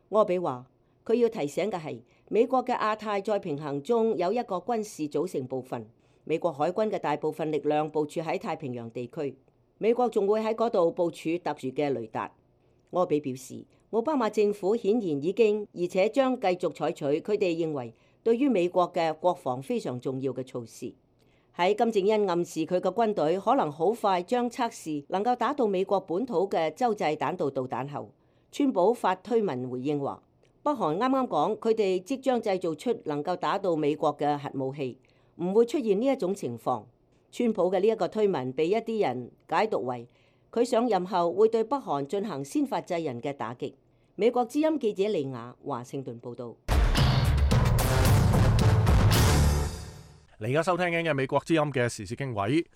Speaker 9: 柯比話，佢要提醒嘅係，美國嘅亞太再平衡中有一個軍事組成部分，美國海軍嘅大部分力量部署喺太平洋地區，美國仲會喺嗰度部署特殊嘅雷達。柯比表示，奧巴馬政府顯然已經而且將繼續採取佢哋認為對於美國嘅國防非常重要嘅措施。喺金正恩暗示佢嘅軍隊可能好快將測試能夠打到美國本土嘅洲際彈道導彈後，川普發推文回應話，北韓啱啱講佢哋即將製造出能夠打到美國嘅核武器，唔會出現呢一種情況。川普嘅呢一個推文被一啲人解讀為佢上任後會對北韓進行先發制人嘅打擊。美國之音記者利亞華盛頓報導。
Speaker 1: 你而家收聽緊嘅美國之音嘅時事經緯，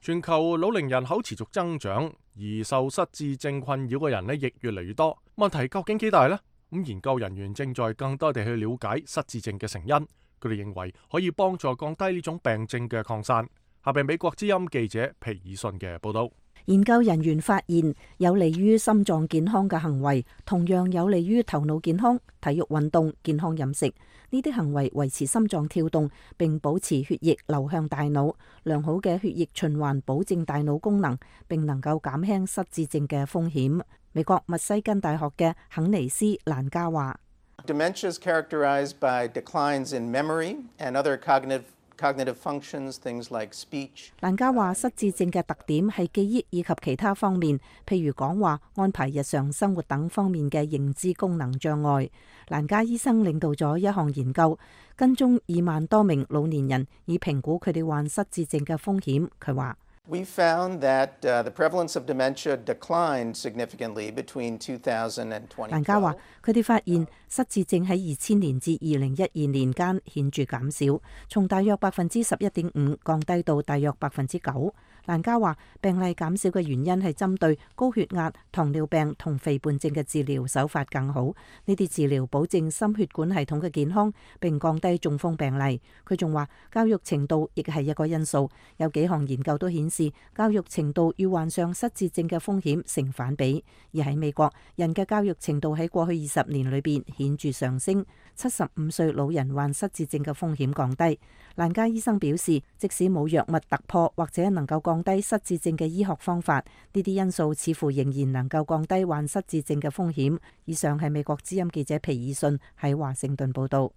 Speaker 1: 全球老齡人口持續增長，而受失智症困擾嘅人呢亦越嚟越多。問題究竟幾大呢？咁研究人員正在更多地去了解失智症嘅成因，佢哋認為可以幫助降低呢種病症嘅擴散。下邊美國之音記者皮爾遜嘅報導。
Speaker 6: 研究人員發現，有利於心臟健康嘅行為，同樣有利於頭腦健康、體育運動、健康飲食。呢啲行為維持心臟跳動，並保持血液流向大腦。良好嘅血液循環保證大腦功能，並能夠減輕失智症嘅風險。美國密西根大學嘅肯尼斯蘭加話
Speaker 12: ：Dementia is characterized by declines in memory and other cognitive Cognitive functions, things like speech.
Speaker 6: 蘭加話失智症嘅特點係記憶以及其他方面，譬如講話、安排日常生活等方面嘅認知功能障礙。蘭加醫生領導咗一項研究，跟蹤二萬多名老年人，以評估佢哋患失智症嘅風險。佢話
Speaker 12: We found that uh, the prevalence of dementia declined significantly between two thousand and twenty twelve.
Speaker 6: 蘭加話，佢哋發現失智症喺二千年至二零一二年間顯著減少，從大約百分之十一點五降低到大約百分之九。蘭加話，病例減少嘅原因係針對高血壓、糖尿病同肥胖症嘅治療手法更好。呢啲治療保證心血管系統嘅健康，並降低中風病例。佢仲話，教育程度亦係一個因素。有幾項研究都顯示，教育程度與患上失智症嘅風險成反比。而喺美國，人嘅教育程度喺過去二十年裏邊顯著上升，七十五歲老人患失智症嘅風險降低。蘭加醫生表示，即使冇藥物突破或者能夠降低失智症嘅醫學方法，呢啲因素似乎仍然能夠降低患失智症嘅風險。以上係美國之音記者皮爾遜喺華盛頓報道。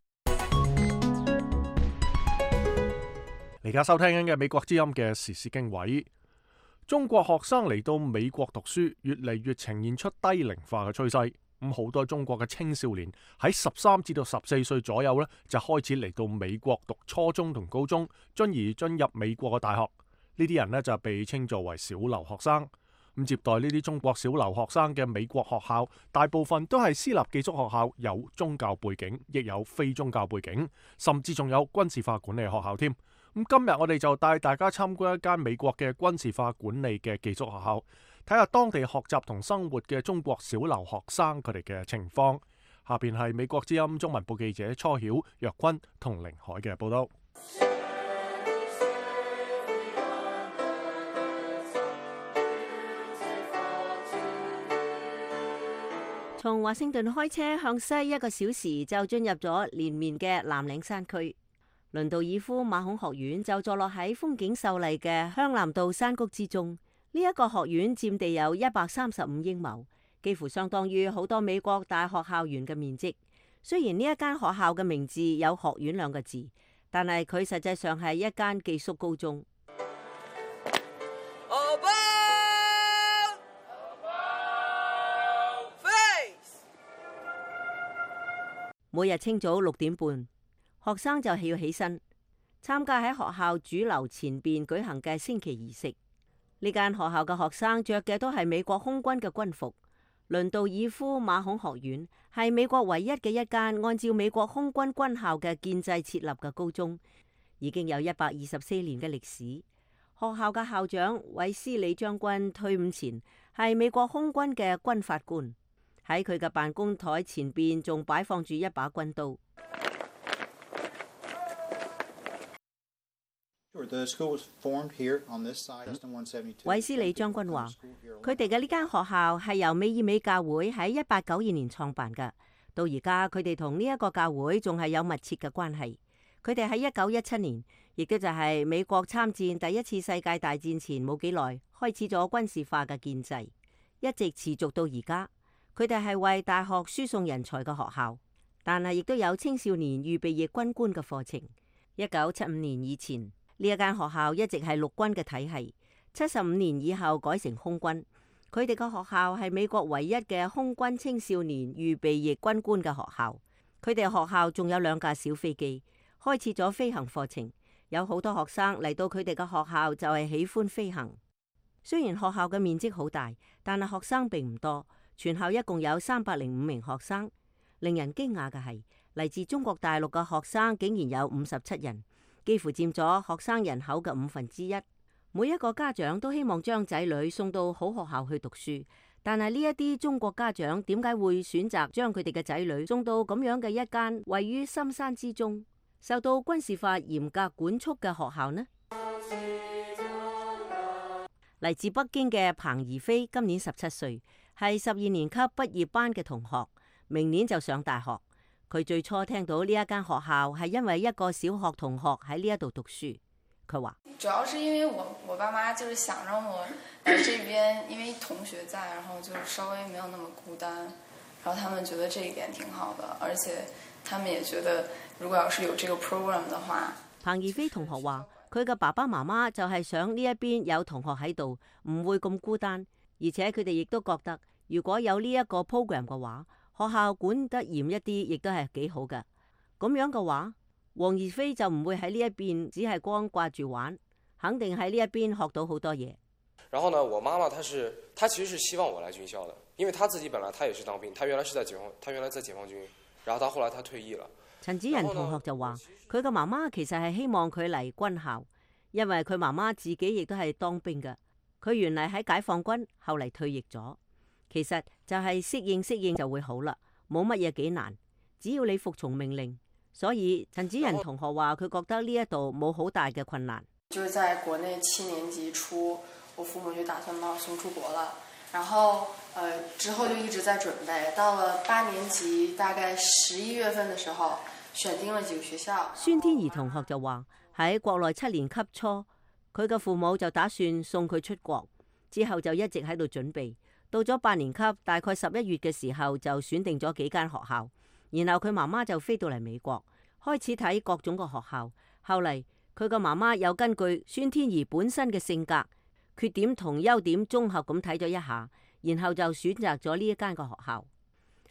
Speaker 1: 而家收聽緊嘅美國之音嘅時事經緯，中國學生嚟到美國讀書，越嚟越呈現出低齡化嘅趨勢。咁好多中國嘅青少年喺十三至到十四歲左右呢，就開始嚟到美國讀初中同高中，進而進入美國嘅大學。呢啲人呢，就被稱作為小留學生。咁接待呢啲中國小留學生嘅美國學校，大部分都係私立寄宿學校，有宗教背景，亦有非宗教背景，甚至仲有軍事化管理學校添。咁今日我哋就帶大家參觀一間美國嘅軍事化管理嘅寄宿學校，睇下當地學習同生活嘅中國小留學生佢哋嘅情況。下邊係美國之音中文部記者初曉、若坤同凌海嘅報道。
Speaker 9: 從華盛頓開車向西一個小時就進入咗連綿嘅藍嶺山區。倫道爾夫馬孔學院就坐落喺風景秀麗嘅香南道山谷之中。呢、這、一個學院佔地有一百三十五英畝，幾乎相當於好多美國大學校園嘅面積。雖然呢一間學校嘅名字有學院兩個字，但係佢實際上係一間寄宿高中。每日清早六點半，學生就要起身參加喺學校主樓前邊舉行嘅升旗儀式。呢間學校嘅學生着嘅都係美國空軍嘅軍服，倫道爾夫馬孔學院係美國唯一嘅一間按照美國空軍軍校嘅建制設立嘅高中，已經有一百二十四年嘅歷史。學校嘅校長韋斯利將軍退伍前係美國空軍嘅軍法官，喺佢嘅辦公台前邊仲擺放住一把軍刀。韋斯利將軍話：佢哋嘅呢間學校係由美爾美教會喺一八九二年創辦嘅，到而家佢哋同呢一個教會仲係有密切嘅關係。佢哋喺一九一七年，亦都就係美國參戰第一次世界大戰前冇幾耐，開始咗軍事化嘅建制，一直持續到而家。佢哋係為大學輸送人才嘅學校，但係亦都有青少年預備役軍官嘅課程。一九七五年以前，呢一間學校一直係陸軍嘅體系，七十五年以後改成空軍。佢哋嘅學校係美國唯一嘅空軍青少年預備役軍官嘅學校。佢哋學校仲有兩架小飛機，開設咗飛行課程，有好多學生嚟到佢哋嘅學校就係喜歡飛行。雖然學校嘅面積好大，但係學生並唔多，全校一共有三百零五名學生。令人驚訝嘅係，嚟自中國大陸嘅學生竟然有五十七人，幾乎佔咗學生人口嘅五分之一。每一個家長都希望將仔女送到好學校去讀書，但係呢一啲中國家長點解會選擇將佢哋嘅仔女送到咁樣嘅一間位於深山之中，受到軍事化嚴格管束嘅學校呢？嚟自北京嘅彭怡飛今年十七歲，係十二年級畢業班嘅同學，明年就上大學。佢最初聽到呢一間學校係因為一個小學同學喺呢一度讀書。佢話：
Speaker 13: 主要是因為我我爸媽就是想讓我來這邊，因為同學在，然後就稍微沒有那麼孤單，然後他們覺得這一點挺好的，而且他們也覺得如果要是有這個 program 的話。
Speaker 9: 彭怡飛同學話：佢嘅爸爸媽媽就係想呢一邊有同學喺度，唔會咁孤單，而且佢哋亦都覺得如果有呢一個 program 嘅話，學校管得嚴一啲，亦都係幾好嘅。咁樣嘅話，黃怡飛就唔會喺呢一邊只係光掛住玩，肯定喺呢一邊學到好多嘢。
Speaker 14: 然後呢，我媽媽她是，她其實是希望我來軍校的，因為她自己本來她也是當兵，她原來是在解放，她原來在解放軍，然後她後來她退役了。
Speaker 9: 陳子仁同學就話：佢嘅媽媽其實係希望佢嚟軍校，因為佢媽媽自己亦都係當兵嘅。佢原嚟喺解放軍，後嚟退役咗。其實就係適應適應就會好啦，冇乜嘢幾難，只要你服從命令。所以陳子仁同學話佢覺得呢一度冇好大嘅困難。
Speaker 13: 就是在國內七年級初，我父母就打算把我送出國了，然後呃之後就一直在準備，到了八年級大概十一月份的時候，選定了幾個學校。
Speaker 9: 孫天怡同學就話喺國內七年級初，佢嘅父母就打算送佢出國，之後就一直喺度準備，到咗八年級大概十一月嘅時候就選定咗幾間學校。然後佢媽媽就飛到嚟美國，開始睇各種嘅學校。後嚟佢個媽媽又根據孫天怡本身嘅性格、缺點同優點綜合咁睇咗一下，然後就選擇咗呢一間嘅學校。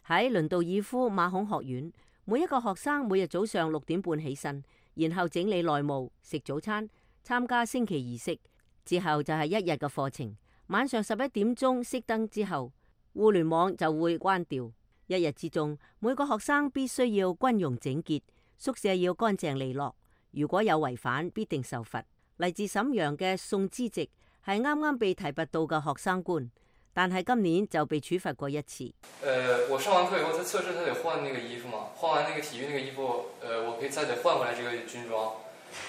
Speaker 9: 喺倫道爾夫馬孔學院，每一個學生每日早上六點半起身，然後整理內務、食早餐、參加升旗儀式，之後就係一日嘅課程。晚上十一點鐘熄燈之後，互聯網就會關掉。一日之中，每個學生必須要軍容整潔，宿舍要乾淨利落。如果有違反，必定受罰。嚟自瀋陽嘅宋之直係啱啱被提拔到嘅學生官，但係今年就被處罰過一次。
Speaker 15: 呃，我上完課以後，在測試他得換那個衣服嘛，換完那個體育那個衣服，呃，我可以再得換回來這個軍裝，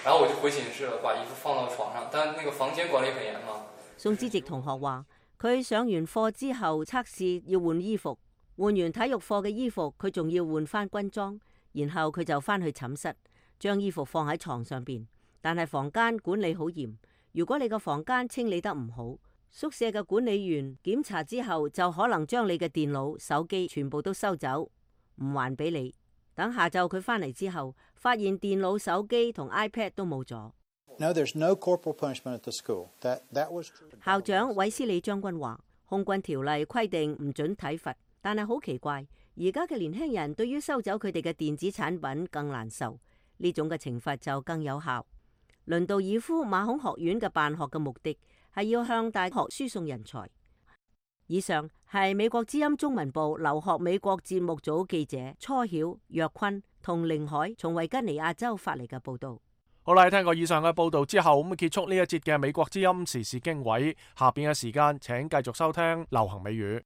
Speaker 15: 然後我就回寢室了，把衣服放到床上，但那個房間管理很嚴嘛。
Speaker 9: 宋之直同學話，佢上完課之後測試要換衣服。換完體育課嘅衣服，佢仲要換翻軍裝，然後佢就翻去寢室，將衣服放喺床上邊。但係房間管理好嚴，如果你個房間清理得唔好，宿舍嘅管理員檢查之後，就可能將你嘅電腦、手機全部都收走，唔還俾你。等下晝佢翻嚟之後，發現電腦、手機同 iPad 都冇咗。
Speaker 16: No, there's no corporal punishment at the school. That that was true.
Speaker 9: 校長韋斯利將軍話，空軍條例規定唔准體罰。但係好奇怪，而家嘅年輕人對於收走佢哋嘅電子產品更難受，呢種嘅懲罰就更有效。倫道爾夫馬孔學院嘅辦學嘅目的係要向大學輸送人才。以上係美國之音中文部留學美國節目組記者初曉、若坤同凌海從維吉尼亞州發嚟嘅報道。
Speaker 1: 好啦，聽過以上嘅報道之後，咁結束呢一節嘅美國之音時事經緯。下邊嘅時間，請繼續收聽流行美語。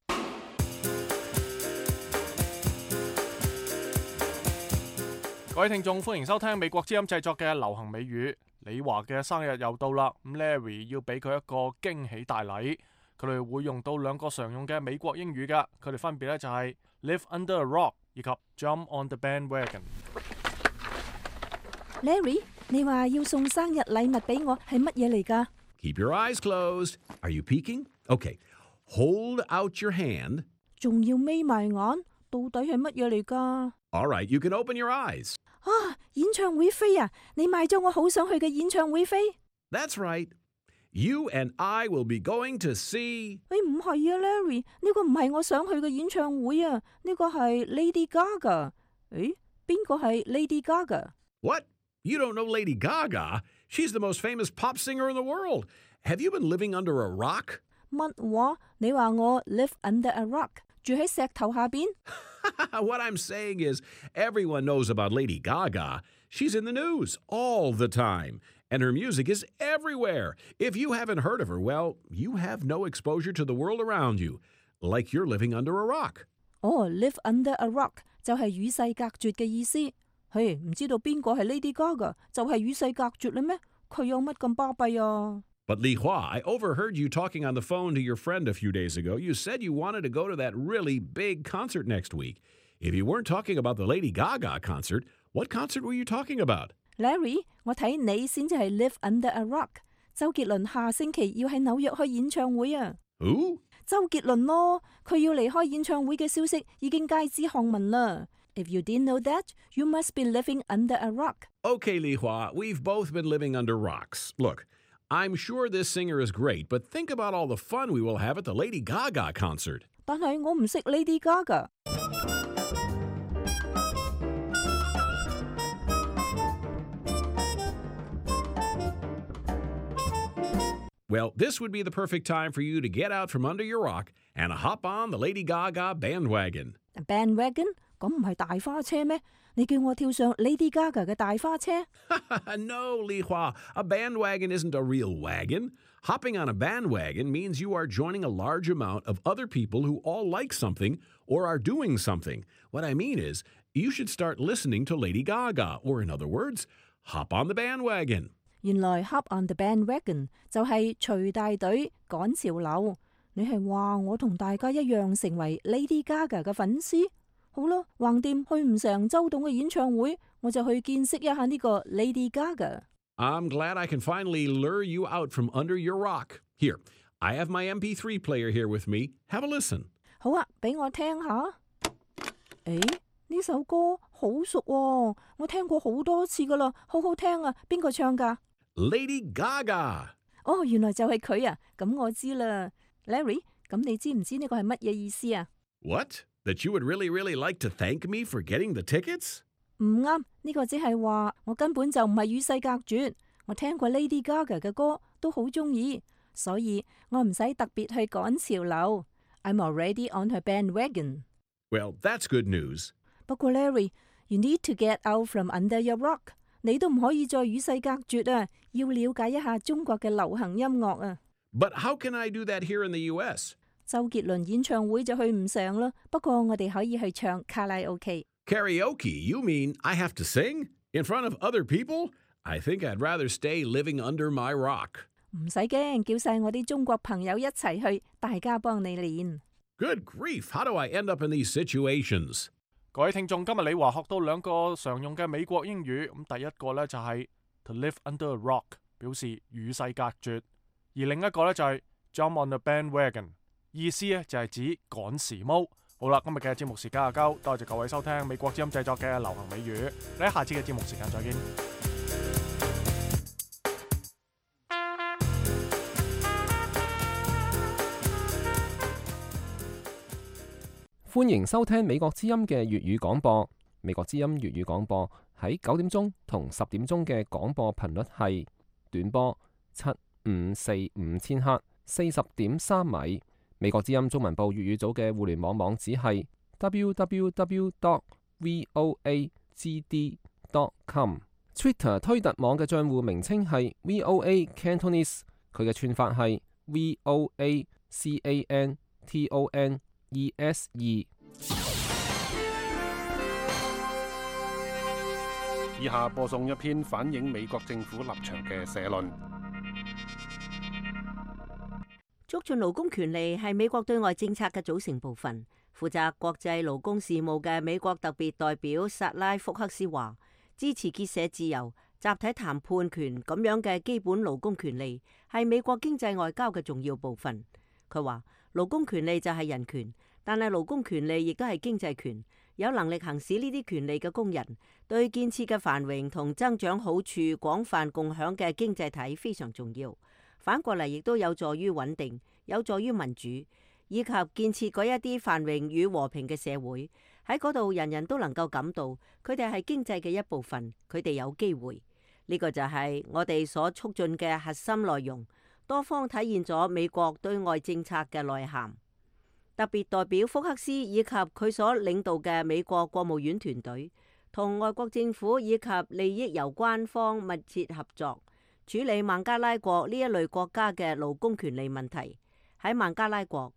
Speaker 1: 各位聽眾，歡迎收聽美國之音製作嘅流行美語。李華嘅生日又到啦，咁 Larry 要俾佢一個驚喜大禮。佢哋會用到兩個常用嘅美國英語噶，佢哋分別咧就係 live under a rock 以及 jump on the bandwagon。Larry，
Speaker 6: 你話要送生日禮物俾我係乜嘢嚟噶
Speaker 17: ？Keep your eyes closed. Are you peeking? Okay. Hold out your hand.
Speaker 6: 仲要眯埋眼，到底係乜嘢嚟噶
Speaker 17: ？All right, you can open your eyes.
Speaker 6: 啊，演唱會飛啊！你買咗我好想去嘅演唱會飛
Speaker 17: ？That's right. You and I will be going to see.
Speaker 6: 誒，唔係啊 ，Larry， 呢個唔係我想去嘅演唱會啊，呢個係 Lady Gaga。誒，邊個係 Lady Gaga？What?
Speaker 17: You don't know Lady Gaga? She's the most famous pop singer in the world. Have you been living under a rock?
Speaker 6: 乜話？你話我 live under a rock， 住喺石頭下邊？
Speaker 17: What I'm saying is, everyone knows about Lady Gaga. She's in the news all the time, and her music is everywhere. If you haven't heard of her, well, you have no exposure to the world around you, like you're living under a rock.
Speaker 6: 哦 live under a rock 就係與世隔絕嘅意思。嘿，唔知道邊個係 Lady Gaga， 就係與世隔絕啦咩？佢有乜咁巴閉啊？
Speaker 17: But Li Hua, I overheard you talking on the phone to your friend a few days ago. You said you wanted to go to that really big concert next week. If you weren't talking about the Lady Gaga concert, what concert were you talking about?
Speaker 6: Larry， 我睇你先至係 live under a rock。周杰倫下星期要喺紐約開演唱會啊。
Speaker 17: Who？
Speaker 6: 周杰倫咯，佢要離開演唱會嘅消息已經街知巷聞啦。If you didn't know that, you must be living under a rock.
Speaker 17: Okay, Li Hua, we've both been living under rocks. Look, I'm sure this singer is great, but think about all the fun we will have at the Lady Gaga concert.
Speaker 6: 但係我唔識 Lady Gaga。Well,
Speaker 17: this would be the perfect time for you to get out from under your rock and hop on the Lady Gaga bandwagon.
Speaker 6: Bandwagon？ 咁唔係大花車咩？你叫我跳上 Lady Gaga 嘅大花車？
Speaker 17: No, Li Hua, a bandwagon isn't a real wagon. Hopping on a bandwagon means you are joining a large amount of other people who all like something or are doing something. What I mean is, you should start listening to Lady Gaga, or in other words, hop on the bandwagon.
Speaker 6: 原來 hop on the bandwagon 就係隨大隊趕潮流。你係話我同大家一樣成為 Lady Gaga 嘅粉絲？好啦，橫掂去唔成周董嘅演唱會，我就去見識一下呢個 Lady Gaga。
Speaker 17: I'm glad I can finally lure you out from under your rock. Here, I have my M P three player here with me. Have a listen.
Speaker 6: 好啊，俾我聽下。誒，呢首歌好熟喎，我聽過好多次噶啦，好好聽啊！邊個唱噶？
Speaker 17: Lady Gaga。
Speaker 6: 哦，原來就係佢啊！咁我知啦。Larry， 咁你知唔知呢個係乜嘢意思啊？
Speaker 17: What?That you would really, really like to thank me for getting the tickets?
Speaker 6: 唔啱，呢個只係話我根本就唔係與世隔絕。我聽過 Lady Gaga 嘅歌，都好中意，所以我唔使特別去趕潮流。I'm already on her bandwagon.
Speaker 17: Well, that's good news.
Speaker 6: 不過 Larry, you need to get out from under your rock. 你都唔可以再與世隔絕啊！要了解一下中國嘅流行音樂啊。
Speaker 17: But how can I do that here in the U S?
Speaker 6: 周杰倫演唱會就去唔成啦，不過我哋可以去唱卡拉 OK。Karaoke?
Speaker 17: You mean I have to sing? In front of other people? I think I'd rather stay living under my rock.
Speaker 6: 唔使驚，叫晒我啲中國朋友一齊去，大家幫你練。
Speaker 17: Good grief! How do I end up in these situations?
Speaker 1: 各位聽眾，今日李華學到兩個常用嘅美國英語，咁第一個呢就係 to live under a rock， 表示與世隔絕；而另一個呢就係 jump on the bandwagon。意思咧就係指趕時髦。好啦，今日嘅節目時間就夠，多謝各位收聽美國之音製作嘅流行美語。你喺下次嘅節目時間再見。
Speaker 11: 歡迎收聽美國之音嘅粵語廣播。美國之音粵語廣播喺九點鐘同十點鐘嘅廣播頻率係短波七五四五千赫，四十點三米。美國之音中文部粵語組嘅互聯網網址係 w w w dot voa g d dot com。Twitter 推特網嘅帳戶名稱係 V O A Cantonese， 佢嘅串法係 V O A C A N T O N E S E。
Speaker 18: 以下播送一篇反映美國政府立場嘅社論。
Speaker 9: 促進勞工權利係美國對外政策嘅組成部分。負責國際勞工事務嘅美國特別代表薩拉福克斯話，支持結社自由、集體談判權咁樣嘅基本勞工權利係美國經濟外交嘅重要部分。佢話勞工權利就係人權，但係勞工權利亦都係經濟權。有能力行使呢啲權利嘅工人，對建設嘅繁榮同增長好處廣泛共享嘅經濟體非常重要。反過嚟亦都有助於穩定，有助於民主，以及建設嗰一啲繁榮與和平嘅社會。喺嗰度人人都能夠感到佢哋係經濟嘅一部分，佢哋有機會。呢個就係我哋所促進嘅核心內容，多方體現咗美國對外政策嘅內涵。特別代表福克斯以及佢所領導嘅美國國務院團隊，同外國政府以及利益攸關方密切合作，處理孟加拉國呢一類國家嘅勞工權利問題。喺孟加拉國，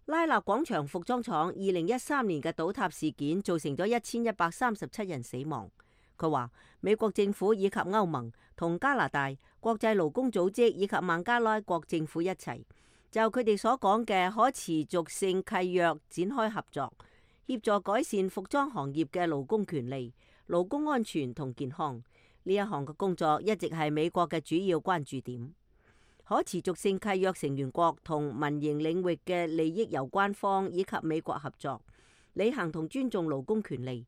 Speaker 9: 拉納廣場服裝廠二零一三年嘅倒塌事件造成咗一千一百三十七人死亡。佢話美國政府以及歐盟同加拿大、國際勞工組織以及孟加拉國政府一齊，就佢哋所講嘅可持續性契約展開合作，協助改善服裝行業嘅勞工權利、勞工安全同健康。呢一項嘅工作一直係美國嘅主要關注點。可持續性契約成員國同民營領域嘅利益攸關方以及美國合作，履行同尊重勞工權利、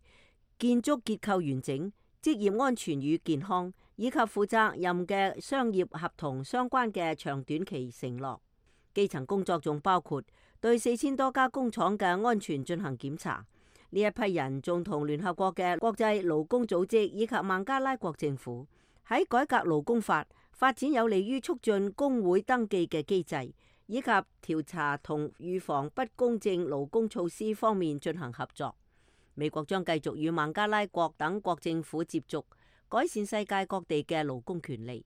Speaker 9: 建築結構完整、職業安全與健康，以及負責任嘅商業合同相關嘅長短期承諾。基層工作仲包括對四千多家工廠嘅安全進行檢查。呢一批人仲同聯合國嘅國際勞工組織以及孟加拉國政府喺改革勞工法、發展有利於促進工會登記嘅機制，以及調查同預防不公正勞工措施方面進行合作。美國將繼續與孟加拉國等國政府接觸，改善世界各地嘅勞工權利。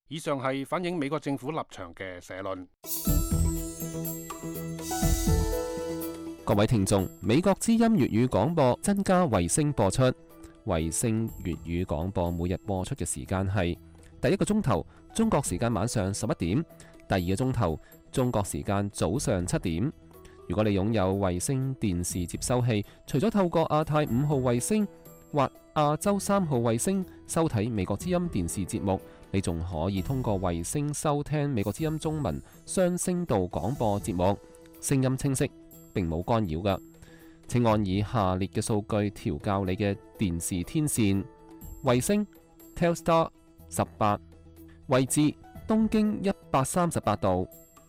Speaker 18: 以上係反映美國政府立場嘅社論。
Speaker 11: 各位聽眾，美國之音粵語廣播增加衛星播出。衛星粵語廣播每日播出嘅時間係第一個鐘頭中國時間晚上十一點，第二個鐘頭中國時間早上七點。如果你擁有衛星電視接收器，除咗透過亞太五號衛星或亞洲三號衛星收睇美國之音電視節目，你仲可以通過衛星收聽美國之音中文雙聲道廣播節目，聲音清晰，並冇干擾㗎。請按以下列嘅數據調校你嘅電視天線：衛星 Telstar 十八，位置東經一百三十八度，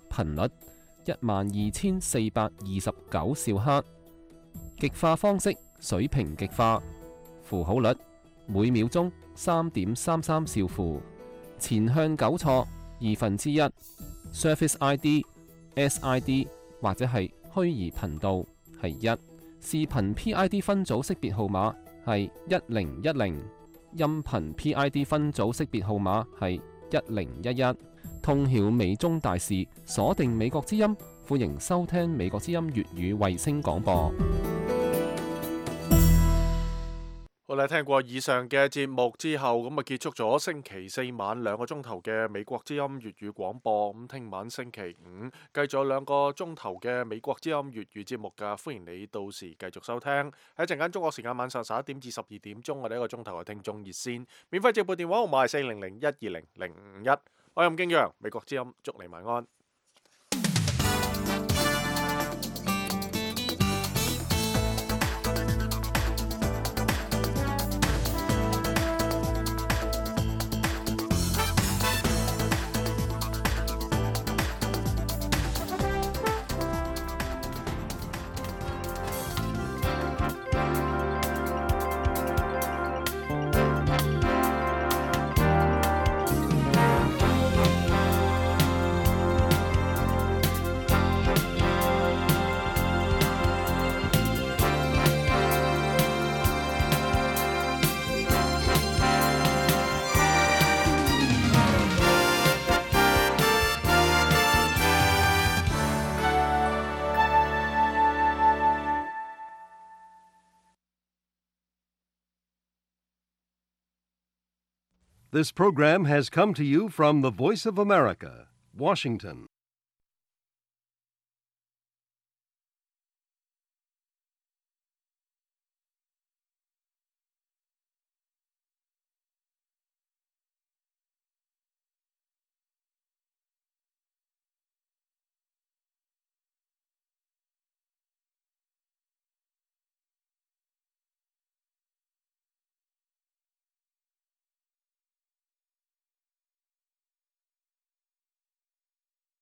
Speaker 11: 頻率一萬二千四百二十九兆赫，極化方式水平極化，符號率每秒鐘三點三三兆符，前向糾錯二分之一 ，Service I D S I D 或者係虛擬頻道係一，視頻 P I D 分組識別號碼係一零一零，音頻 P I D 分組識別號碼係一零一一。通曉美中大事，鎖定美國之音，歡迎收聽美國之音粵語衛星廣播。
Speaker 1: 好啦，聽過以上嘅節目之後，咁啊結束咗星期四晚兩個鐘頭嘅美國之音粵語廣播。咁聽晚星期五繼續有兩個鐘頭嘅美國之音粵語節目㗎，歡迎你到時繼續收聽。喺陣間中國時間晚上十一點至十二點鐘，我哋一個鐘頭嘅聽眾熱線，免費直播電話號碼係四零零一二零零五一。我係任敬陽，美國之音，祝你晚安。
Speaker 19: This program has come to you from the Voice of America, Washington.